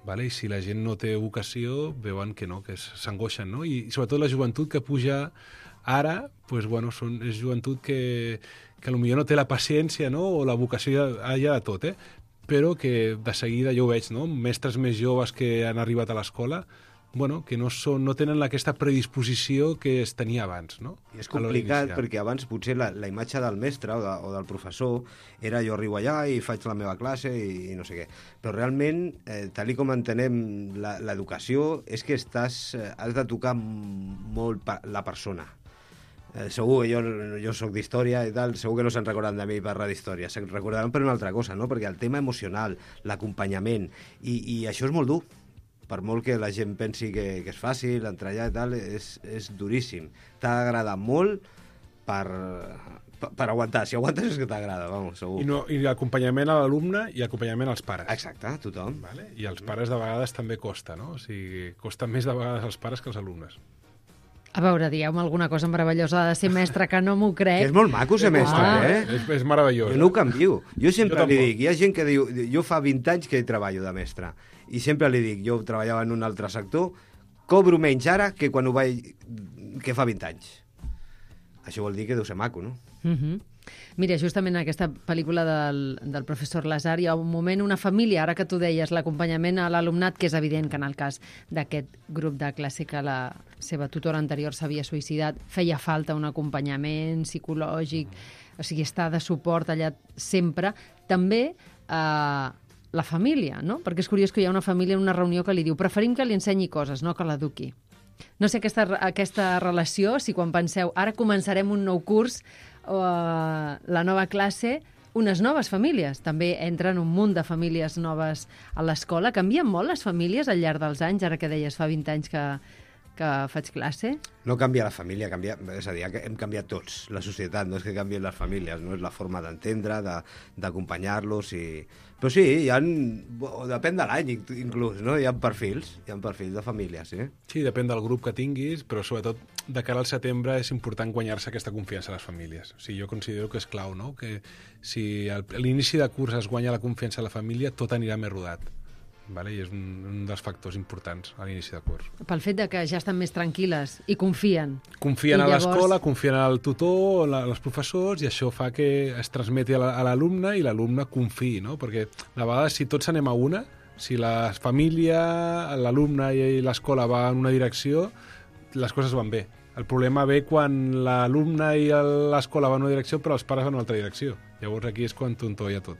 Vale? I si la gent no té vocació, veuen que no, que s'angoixen, no? I, i sobretot la joventut que puja ara, pues, bueno, són, és joventut que, que potser no té la paciència, no?, o la vocació ja, ja de tot, eh? Però que de seguida jo ho veig, no?, mestres més joves que han arribat a l'escola, bueno, que no, són, no tenen aquesta predisposició que es tenia abans, no? I és A l'hora complicat d'iniciar. perquè abans potser la, la imatge del mestre o, de, o del professor era jo arribo allà i faig la meva classe i, i no sé què. Però realment, eh, tal i com entenem la- l'educació, és que estàs, eh, has de tocar m- molt pa, la persona. Eh, segur que jo, jo sóc d'història i tal, segur que no se'n recorden de mi per parlar d'història, se'n recordaran per una altra cosa, no? Perquè el tema emocional, l'acompanyament, i, i això és molt dur. Per molt que la gent pensi que, que és fàcil, entrar allà i tal, és, és duríssim. T'ha d'agradar molt per, per, per aguantar. Si aguantes és que t'agrada, vamos, segur. I, no, i acompanyament a l'alumne i acompanyament als pares. Exacte, tothom. Vale? I als pares de vegades també costa, no? O sigui, costa més de vegades als pares que als alumnes. A veure, dieu-me alguna cosa meravellosa de ser mestre, que no m'ho Que crec. és molt maco ser mestre, Ah. eh? És, és meravellós. Jo no ho canvio. Jo sempre Jo li tampoc. dic, hi ha gent que diu, jo fa vint anys que treballo de mestre, i sempre li dic, jo treballava en un altre sector, cobro menys ara que quan ho vaig... que fa vint anys. Això vol dir que deu ser maco, no? Mhm. Mira, justament en aquesta pel·lícula del, del professor Lazar hi ha un moment, una família, ara que tu deies, l'acompanyament a l'alumnat, que és evident que en el cas d'aquest grup de classe que la seva tutora anterior s'havia suïcidat, feia falta un acompanyament psicològic, o sigui, estar de suport allà sempre. També eh, la família, no? Perquè és curiós que hi ha una família en una reunió que li diu preferim que li ensenyi coses, no que l'eduqui. No sé aquesta, aquesta relació, si quan penseu ara començarem un nou curs o uh, la nova classe, unes noves famílies. També entren un munt de famílies noves a l'escola. Canvien molt les famílies al llarg dels anys, ara que deies fa vint anys que, que faig classe? No canvia la família, canvia, és a dir, que hem canviat tots, la societat, no és que canvien les famílies, no és la forma d'entendre, de- d'acompanyar-los, i... però sí, hi ha, depèn de l'any inclús, no? Hi ha perfils, hi ha perfils de famílies, sí. Sí, depèn del grup que tinguis, però sobretot de cara al setembre és important guanyar-se aquesta confiança a les famílies. O sigui, jo considero que és clau, no?, que si al- a l'inici de curs es guanya la confiança a la família, tot anirà més rodat. Vale? I és un, un dels factors importants a l'inici de curs. Pel fet de que ja estan més tranquil·les i confien. Confien I a llavors- l'escola, confien al tutor, la- als professors, i això fa que es transmeti a la- a l'alumne i l'alumne confiï, no? Perquè de vegades, si tots anem a una, si la família, l'alumne i l'escola va en una direcció, les coses van bé. El problema ve quan l'alumne i l'escola van en una direcció però els pares van en una altra direcció. Llavors aquí és quan tontolla tot.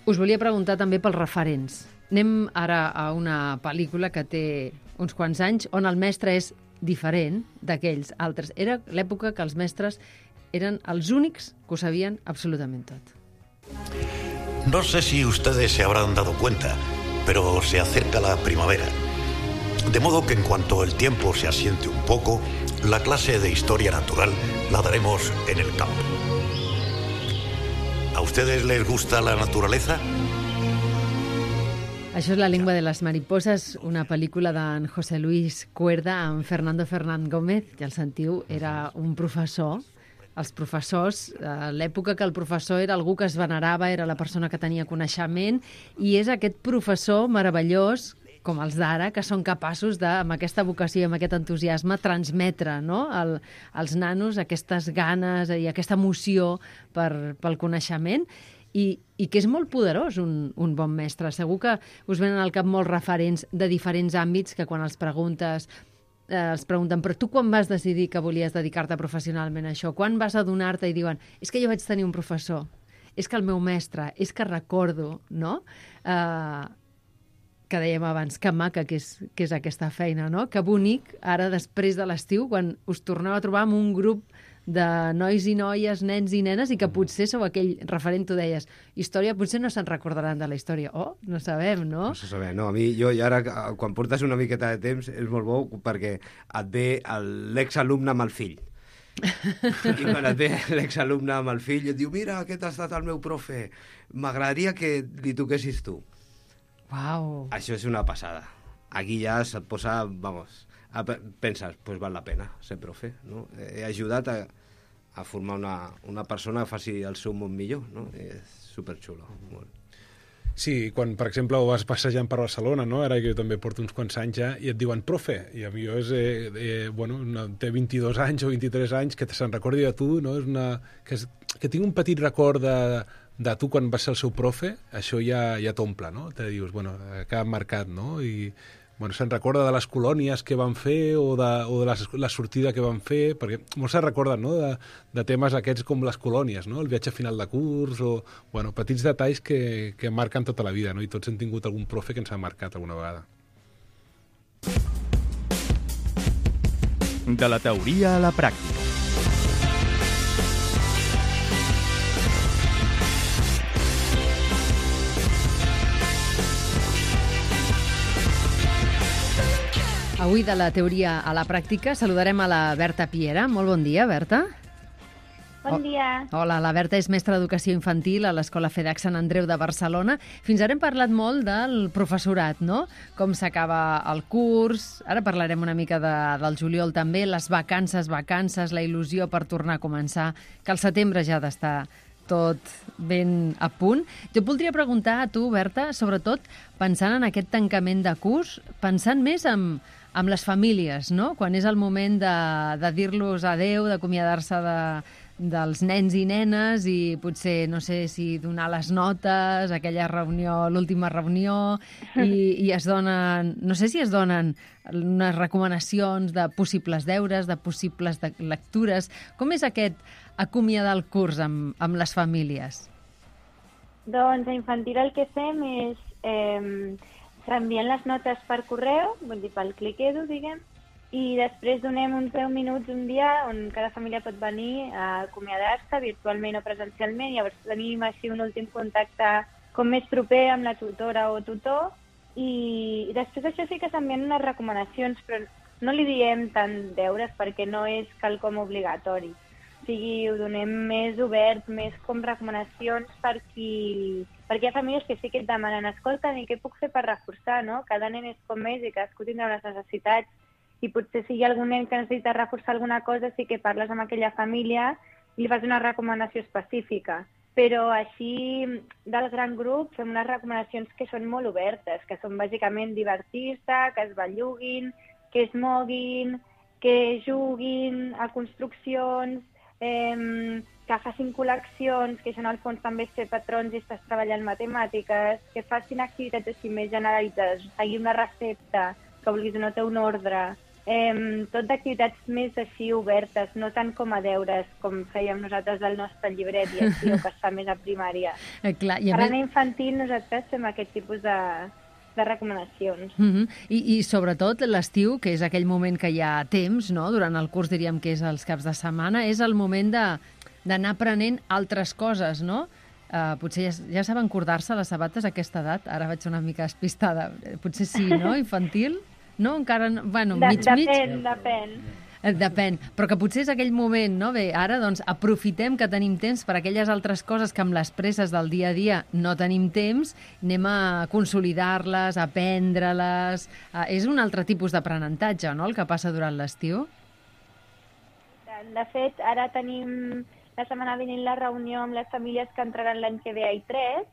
Us volia preguntar també pels referents. Anem ara a una pel·lícula que té uns quants anys on el mestre és diferent d'aquells altres. Era l'època que els mestres eren els únics que ho sabien absolutament tot. No sé si ustedes se habrán dado cuenta, pero se acerca la primavera. De modo que en cuanto el tiempo se asiente un poco, la clase de historia natural la daremos en el campo. ¿A ustedes les gusta la naturaleza? Això és La lengua de les mariposas, una pel·lícula d'en José Luis Cuerda amb Fernando Fernán Gómez, que el sentiu era un professor els professors, a l'època que el professor era algú que es venerava, era la persona que tenia coneixement, i és aquest professor meravellós, com els d'ara, que són capaços de, amb aquesta vocació i amb aquest entusiasme, transmetre, no?, el, als nanos aquestes ganes i aquesta emoció per, pel coneixement, i, i que és molt poderós un, un bon mestre. Segur que us venen al cap molts referents de diferents àmbits que quan els preguntes eh, els pregunten, però tu quan vas decidir que volies dedicar-te professionalment a això? Quan vas adonar-te i diuen, és que jo vaig tenir un professor, és que el meu mestre, és que recordo, no?, eh, que dèiem abans, que maca que és, que és aquesta feina, no? Que bonic, ara després de l'estiu, quan us torneu a trobar amb un grup de nois i noies, nens i nenes, i que potser sou aquell referent, tu deies, història, potser no se'n recordaran de la història. Oh, no sabem, no? No se sabem, no. A mi, jo, i ara, quan portes una miqueta de temps, és molt bo perquè et ve l'exalumne amb el fill. I quan et ve l'exalumne amb el fill, et diu, mira, aquest ha estat el meu profe, m'agradaria que li toquessis tu. Uau. Això és una passada. Aquí ja se't posa, vamos, a, penses, pues val la pena ser profe, no? He ajudat a, a formar una, una persona que faci el seu món millor, no? És superxulo, molt. Sí, quan, per exemple, ho vas passejant per Barcelona, no? Ara que jo també porto uns quants anys ja, i et diuen, profe, i a mi jo és, eh, eh, bueno, una, té vint-i-dos anys o vint-i-tres anys, que se'n recordi de tu, no? És una, que, és, que tinc un petit record de, de tu quan vas ser el seu profe, això ja, ja t'omple, no? Te dius, bueno, que ha marcat, no? I, bueno, se'n recorda de les colònies que van fer o de, o de la, la sortida que van fer, perquè molts se'n recorden, no?, de, de temes aquests com les colònies, no?, el viatge final de curs, o, bueno, petits detalls que, que marquen tota la vida, no?, i tots hem tingut algun profe que ens ha marcat alguna vegada. De la teoria a la pràctica. Avui, de la teoria a la pràctica, saludarem a la Berta Piera. Molt bon dia, Berta. Bon dia. Hola, la Berta és mestra d'educació infantil a l'Escola FEDEC Sant Andreu de Barcelona. Fins ara hem parlat molt del professorat, no?, com s'acaba el curs. Ara parlarem una mica de, del juliol també, les vacances, vacances, la il·lusió per tornar a començar, que al setembre ja ha d'estar tot ben a punt. Jo et voldria preguntar a tu, Berta, sobretot pensant en aquest tancament de curs, pensant més en, en les famílies, no?, quan és el moment de, de dir-los adeu, d'acomiadar-se de, dels nens i nenes i potser, no sé si donar les notes, aquella reunió, l'última reunió, i, i es donen, no sé si es donen unes recomanacions de possibles deures, de possibles de lectures. Com és aquest acomiadar el curs amb, amb les famílies? Doncs a infantil el que fem és eh, s'envien les notes per correu, vull dir, pel clic-edu, diguem, i després donem uns deu minuts un dia on cada família pot venir a acomiadar-se virtualment o presencialment, i llavors tenim així un últim contacte com més proper amb la tutora o tutor, i, i després això sí que s'envien unes recomanacions, però no li diem tant deures perquè no és quelcom obligatori. O sigui, ho donem més obert, més com recomanacions per qui... perquè hi ha famílies que sí que et demanen, escolta, i què puc fer per reforçar, no? Cada nen és com és i cadascú tindrà unes necessitats, i potser si hi ha algun nen que necessita reforçar alguna cosa, sí que parles amb aquella família i li fas una recomanació específica. Però així, del gran grup, fem unes recomanacions que són molt obertes, que són bàsicament divertir-se, que es belluguin, que es moguin, que juguin a construccions, eh, que facin col·leccions, que això en el fons també és fer patrons i estàs treballant matemàtiques, que facin activitats així més generalitzades, seguir una recepta, que vulguis no té un ordre, eh, tot d'activitats més així obertes, no tant com a deures, com fèiem nosaltres del nostre llibret i així, o que es fa més a primària. Eh, clar, i a Per més... a infantil nosaltres fem aquest tipus de, de recomanacions. Uh -huh. I, I sobretot l'estiu, que és aquell moment que hi ha temps, no? Durant el curs diríem que és els caps de setmana, és el moment de d'anar aprenent altres coses, no? Uh, potser ja, ja saben cordar-se les sabates a aquesta edat, ara vaig una mica despistada, potser sí, no? Infantil? No? Encara no... Bueno, de, mig, mig... Depèn, depèn. Depèn, però que potser és aquell moment, no? Bé, ara doncs aprofitem que tenim temps per aquelles altres coses que amb les presses del dia a dia no tenim temps, anem a consolidar-les, a aprendre-les... Uh, és un altre tipus d'aprenentatge, no?, el que passa durant l'estiu? de fet, ara tenim la setmana vinent la reunió amb les famílies que entraran l'any que ve a I tres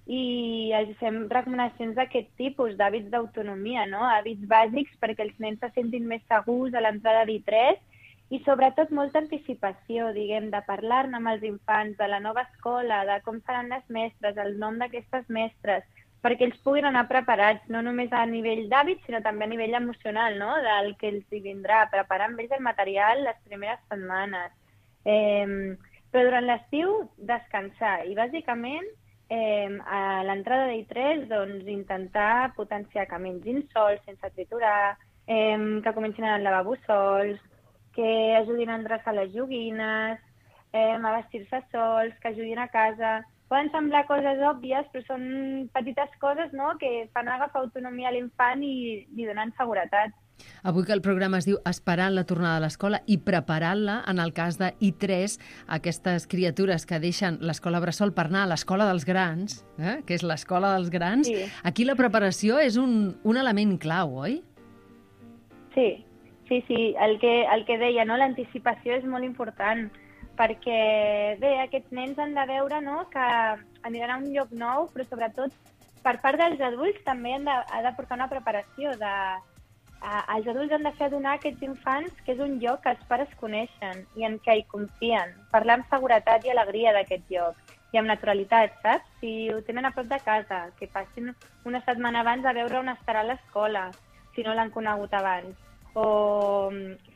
i els fem recomanacions d'aquest tipus, d'hàbits d'autonomia, no? Hàbits bàsics perquè els nens se sentin més segurs a l'entrada d'I tres i sobretot molta anticipació, diguem, de parlar-ne amb els infants, de la nova escola, de com seran les mestres, el nom d'aquestes mestres, perquè ells puguin anar preparats, no només a nivell d'hàbits, sinó també a nivell emocional, no? Del que els hi vindrà, preparar amb ells el material les primeres setmanes. Eh, però durant l'estiu, descansar. I bàsicament, eh, a l'entrada d'I tres, doncs, intentar potenciar que mengin sols, sense triturar, eh, que comencin a anar al lavabo sols, que ajudin a endreçar les joguines, eh, a vestir-se sols, que ajudin a casa. Poden semblar coses òbvies, però són petites coses, no?, que fan agafar autonomia a l'infant i li donen seguretat. Avui que el programa es diu Esperant la tornada a l'escola i preparant-la, en el cas de I tres, aquestes criatures que deixen l'escola bressol per anar a l'escola dels grans, eh? que és l'escola dels grans, Sí. aquí la preparació és un, un element clau, oi? Sí, sí, sí. El que, el que deia, no?, l'anticipació és molt important, perquè, bé, aquests nens han de veure, no?, que aniran a un lloc nou, però sobretot per part dels adults també han de, ha de portar una preparació de... Uh, els adults han de fer adonar a aquests infants que és un lloc que els pares coneixen i en què hi confien. Parlar amb seguretat i alegria d'aquest lloc i amb naturalitat, saps? Si ho tenen a prop de casa, que passin una setmana abans a veure on estarà l'escola, si no l'han conegut abans. O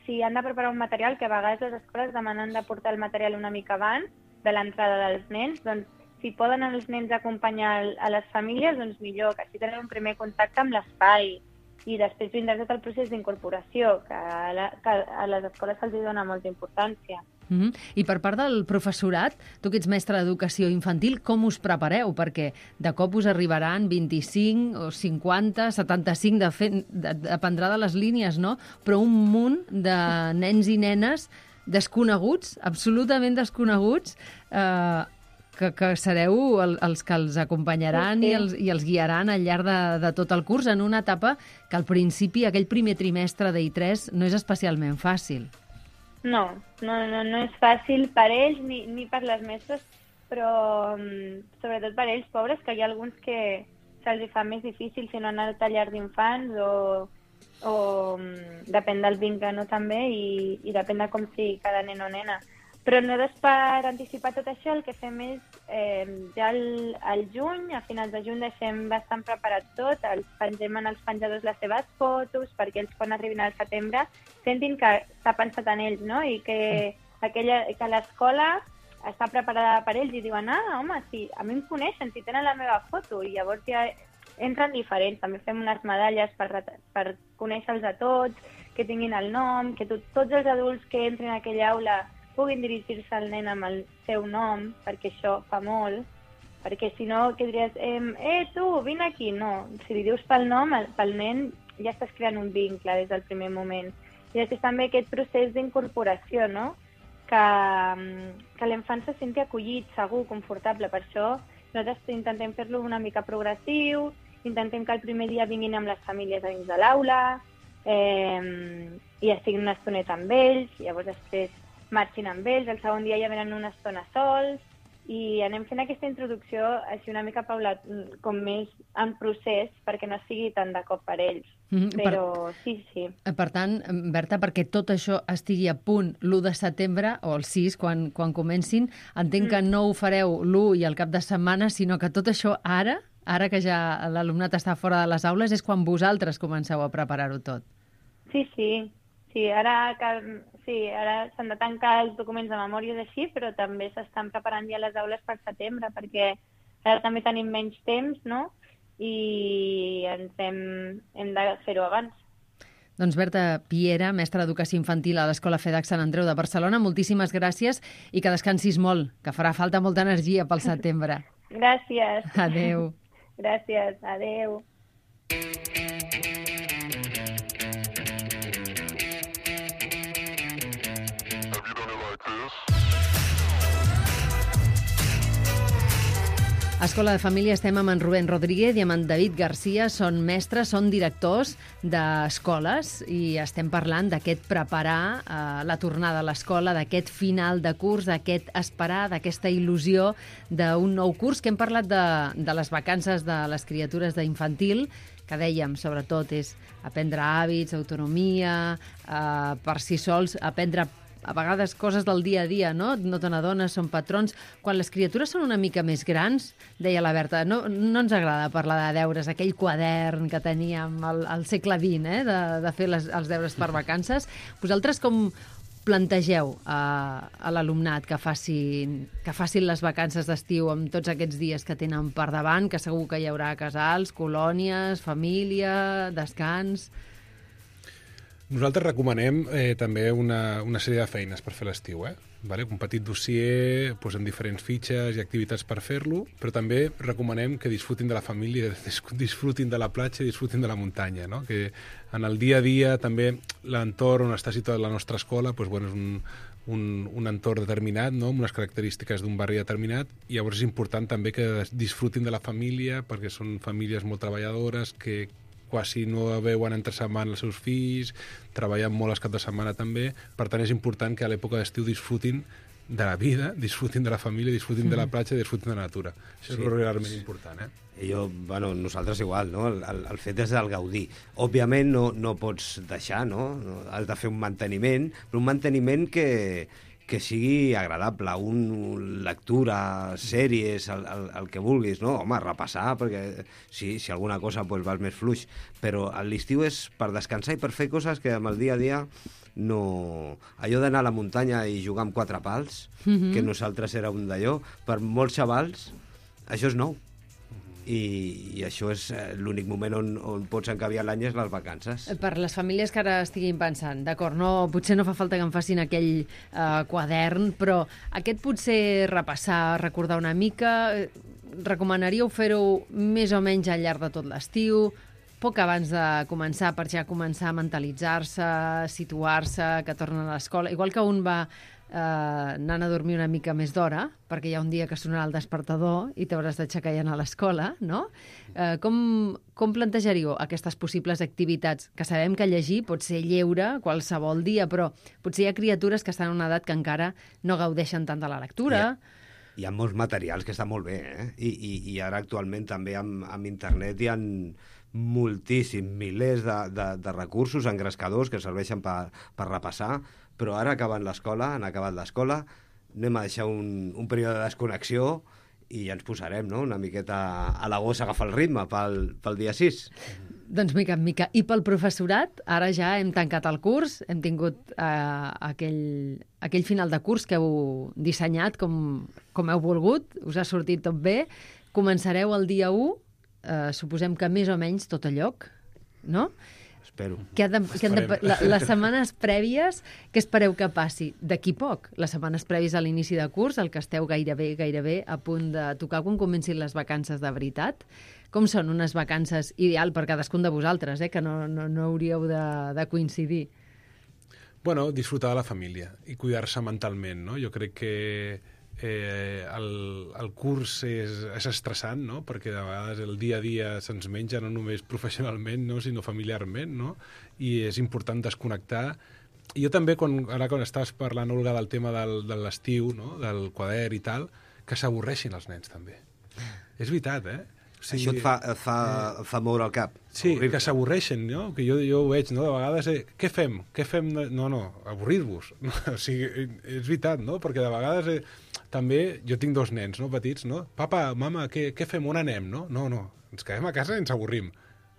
si han de preparar un material, que a vegades les escoles demanen de portar el material una mica abans de l'entrada dels nens, doncs si poden els nens acompanyar a les famílies, doncs millor, que així tenen un primer contacte amb l'espai. I després vindrà tot el procés d'incorporació, que a, la, que a les escoles se'ls dona molta importància. Mm -hmm. I per part del professorat, tu que ets mestre d'educació infantil, com us prepareu? Perquè de cop us arribaran vint-i-cinc o cinquanta, setanta-cinc, de fet, de, dependrà de les línies, no? Però un munt de nens i nenes desconeguts, absolutament desconeguts, eh, que, que sereu el, els que els acompanyaran sí, sí. I, els, i els guiaran al llarg de, de tot el curs en una etapa que al principi, aquell primer trimestre d'I tres, no és especialment fàcil. No, no, no, no és fàcil per ells ni, ni per les mestres, però um, sobretot per ells, pobres, que hi ha alguns que se'ls fa més difícil si no han anat a llar d'infants o, o um, depèn del vincle, no, també, i, i depèn de com sigui cada nen o nena. Però nosaltres, per anticipar tot això, el que fem és, eh, ja al, al juny, a finals de juny, deixem bastant preparat tot, els pengem en els penjadors les seves fotos, perquè ells, quan arribin al setembre, sentin que s'ha pensat en ells, no?, i que, aquella, que l'escola està preparada per ells, i diuen, ah, home, sí, a mi em coneixen, si tenen la meva foto, i llavors ja entren diferents. També fem unes medalles per, per conèixer-los a tots, que tinguin el nom, que tot, tots els adults que entrin a aquella aula puguin dirigir-se al nen amb el seu nom, perquè això fa molt, perquè si no, que diries, eh, eh tu, vine aquí, no. Si li dius pel nom, pel nen ja estàs creant un vincle des del primer moment. I després també aquest procés d'incorporació, no?, que, que l'infant se senti acollit, segur, confortable. Per això nosaltres intentem fer-lo una mica progressiu, intentem que el primer dia vinguin amb les famílies a dins de l'aula, eh, i estiguin una estoneta amb ells, llavors després marxin amb ells, el segon dia ja venen una estona sols, i anem fent aquesta introducció així una mica paulat, com més en procés, perquè no sigui tan de cop per ells. Mm, Però per, sí, sí. Per tant, Berta, perquè tot això estigui a punt l'u de setembre, o el sis, quan, quan comencin, entenc mm. que no ho fareu l'u i el cap de setmana, sinó que tot això ara, ara que ja l'alumnat està fora de les aules, és quan vosaltres comenceu a preparar-ho tot. Sí, sí. Sí, ara, que, sí, ara s'han de tancar els documents de memòries així, però també s'estan preparant ja les aules per setembre, perquè ara també tenim menys temps, no?, i ens hem, hem de fer-ho abans. Doncs Berta Piera, mestra d'Educació Infantil a l'Escola FEDAC Sant Andreu de Barcelona, moltíssimes gràcies i que descansis molt, que farà falta molta energia pel setembre. Gràcies. Adéu. Gràcies, adéu. A Escola de Família estem amb en Rubén Rodríguez i amb en David Garcia. Són mestres, són directors d'escoles i estem parlant d'aquest preparar eh, la tornada a l'escola, d'aquest final de curs, d'aquest esperar, d'aquesta il·lusió d'un nou curs, que hem parlat de, de les vacances de les criatures d'infantil, que dèiem, sobretot, és aprendre hàbits, autonomia, eh, per si sols, aprendre a vegades coses del dia a dia, no? No te n'adones, són patrons. Quan les criatures són una mica més grans, deia la Berta, no, no ens agrada parlar de deures, aquell quadern que teníem al, al segle vint, eh? de, de fer les, els deures per vacances. Vosaltres com plantegeu a, a l'alumnat que facin, que facin les vacances d'estiu amb tots aquests dies que tenen per davant, que segur que hi haurà casals, colònies, família, descans... Nosaltres recomanem eh, també una, una sèrie de feines per fer l'estiu, eh? Vale? Un petit dossier doncs, amb diferents fitxes i activitats per fer-lo, però també recomanem que disfrutin de la família, disfrutin de la platja i disfrutin de la muntanya, no? Que en el dia a dia també l'entorn on està situada la nostra escola doncs, bueno, és un, un, un entorn determinat, no? Amb unes característiques d'un barri determinat, i llavors és important també que disfrutin de la família, perquè són famílies molt treballadores, que quasi no veuen entre setmana els seus fills, treballen molt els caps de setmana també, per tant és important que a l'època d'estiu disfrutin de la vida, disfrutin de la família, disfrutin mm. de la platja, disfrutin de la natura. Això sí, és realment important, eh? I jo, bueno, nosaltres igual, no? El, el, el fet és el gaudir. Òbviament no, no pots deixar, no? Has de fer un manteniment, però un manteniment que, que sigui agradable, un lectura, sèries, el, el, el que vulguis, no? Home, repassar, perquè sí, si alguna cosa pues, vas més fluix, però l'estiu és per descansar i per fer coses que amb el dia a dia no... Allò d'anar a la muntanya i jugar amb quatre pals, mm-hmm. que nosaltres era un d'allò, per molts xavals, això és nou. I, i això és l'únic moment on, on pots encabiar l'any és les vacances. Per les famílies que ara estiguin pensant, d'acord, no, potser no fa falta que em facin aquell eh, quadern, però aquest potser repassar, recordar una mica, recomanaríeu fer-ho més o menys al llarg de tot l'estiu, poc abans de començar, per ja començar a mentalitzar-se, situar-se, que tornen a l'escola, igual que un va eh, anant a dormir una mica més d'hora, perquè hi ha un dia que sonarà el despertador i t'hauràs d'aixecar i anar a l'escola, no? Eh, com, com plantejaríeu aquestes possibles activitats? Que sabem que llegir pot ser lleure qualsevol dia, però potser hi ha criatures que estan en una edat que encara no gaudeixen tant de la lectura. Hi ha, hi ha molts materials que estan molt bé, eh? I, i, i ara actualment també amb, amb internet hi ha moltíssims, milers de, de, de recursos engrescadors que serveixen per, per repassar, però ara acabant l'escola, han acabat l'escola, anem a deixar un, un període de desconnexió i ja ens posarem, no?, una miqueta a l'agost a agafar el ritme pel, pel dia sis. Doncs mica en mica. I pel professorat, ara ja hem tancat el curs, hem tingut eh, aquell, aquell final de curs que heu dissenyat com, com heu volgut, us ha sortit tot bé, començareu el dia u, eh, suposem que més o menys tot a lloc, no? Espero. Que ha de, que han de, la, les setmanes prèvies, què espereu que passi? D'aquí poc, les setmanes prèvies a l'inici de curs, el que esteu gairebé, gairebé a punt de tocar quan comencin les vacances de veritat. Com són unes vacances ideal per cadascun de vosaltres, eh? Que no, no, no hauríeu de, de coincidir? Bueno, disfrutar de la família i cuidar-se mentalment, no? Jo crec que eh, el, el curs és, és estressant, no? Perquè de vegades el dia a dia se'ns menja no només professionalment, no? Sinó familiarment, no? I és important desconnectar. I jo també, quan, ara quan estaves parlant, Olga, del tema del, de l'estiu, no? Del quadern i tal, que s'avorreixin els nens també. És veritat, eh? O sigui, això et fa, et fa, eh, fa moure el cap. Sí, que s'avorreixen, no? Que jo, jo ho veig, no? De vegades, eh, què fem? Què fem? No, no, avorrir-vos. No? O sigui, és veritat, no? Perquè de vegades eh, també, jo tinc dos nens, no?, petits, no? Papa, mama, què, què fem? On anem, no? No, no, ens quedem a casa i ens avorrim.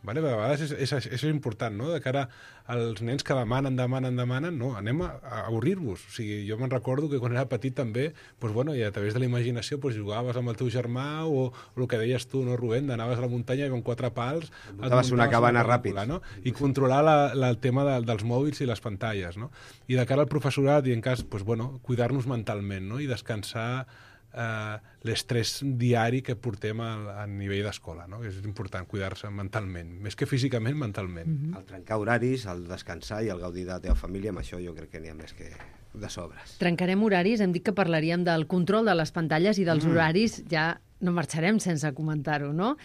Vale? De vegades és, és, és, és important, no? De cara als nens que demanen, demanen, demanen, no, anem a, a avorrir-vos. O sigui, jo me'n recordo que quan era petit també, doncs, bueno, i a través de la imaginació doncs, jugaves amb el teu germà o, o el que deies tu, no, Rubén, anaves a la muntanya i amb quatre pals... Muntaves una cabana ràpid. No? I controlar la, la, el tema de, dels mòbils i les pantalles, no? I de cara al professorat i en cas, doncs, bueno, cuidar-nos mentalment, no? I descansar eh, l'estrès diari que portem a, a nivell d'escola, no? És important cuidar-se mentalment, més que físicament, mentalment. Mm-hmm. El trencar horaris, el descansar i el gaudir de la teva família, amb això jo crec que n'hi ha més que de sobres. Trencarem horaris, hem dit que parlaríem del control de les pantalles i dels Mm. horaris, ja no marxarem sense comentar-ho, no?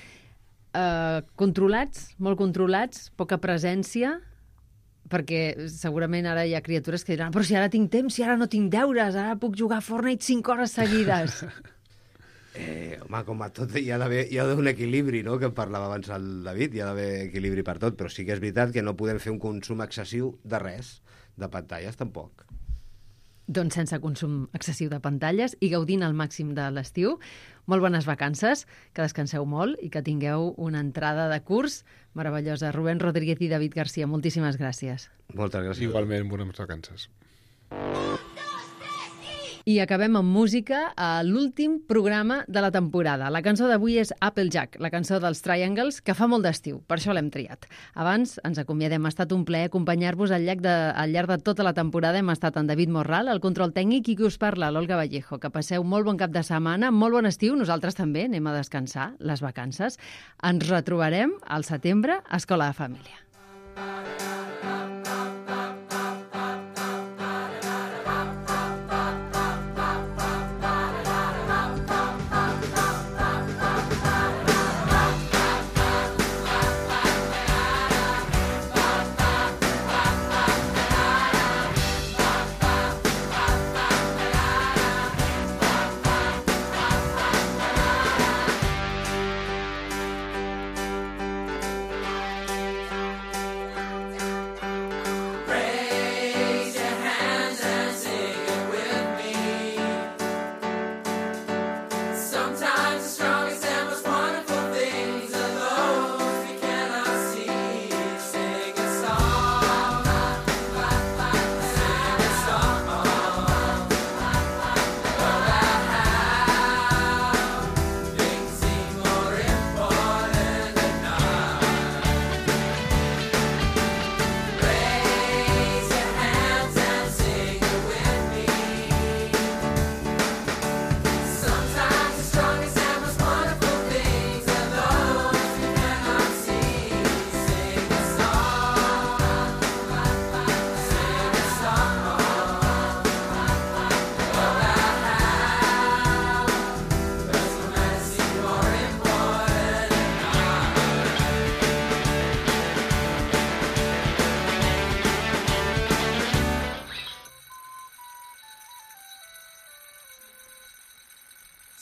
Uh, controlats, molt controlats, poca presència, perquè segurament ara hi ha criatures que diran però si ara tinc temps, si ara no tinc deures, ara puc jugar a Fortnite cinc hores seguides. Eh, home, com a tot, hi ha d'haver hi ha d'haver un equilibri, no?, que en parlava abans el David, hi ha d'haver equilibri per tot, però sí que és veritat que no podem fer un consum excessiu de res, de pantalles tampoc. Doncs sense consum excessiu de pantalles i gaudint al màxim de l'estiu. Molt bones vacances, que descanseu molt i que tingueu una entrada de curs meravellosa. Rubén Rodríguez i David Garcia, moltíssimes gràcies. Moltes gràcies. Igualment, bones vacances. I acabem amb música a l'últim programa de la temporada. La cançó d'avui és Applejack, la cançó dels Triangles, que fa molt d'estiu, per això l'hem triat. Abans ens acomiadem, ha estat un plaer acompanyar-vos al llarg de, al llarg de tota la temporada. Hem estat en David Morral, el control tècnic, i qui us parla, l'Olga Vallejo. Que passeu molt bon cap de setmana, molt bon estiu, nosaltres també anem a descansar, les vacances. Ens retrobarem al setembre a Escola de Família.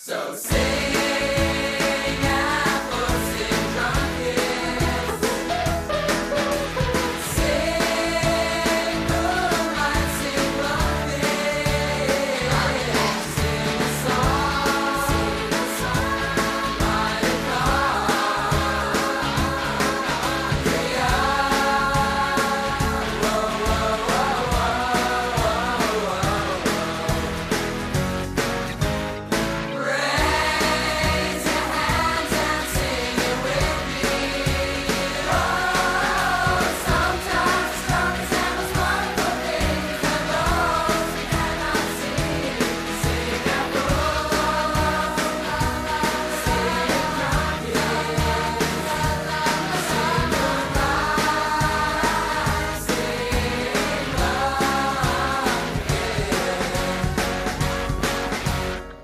So say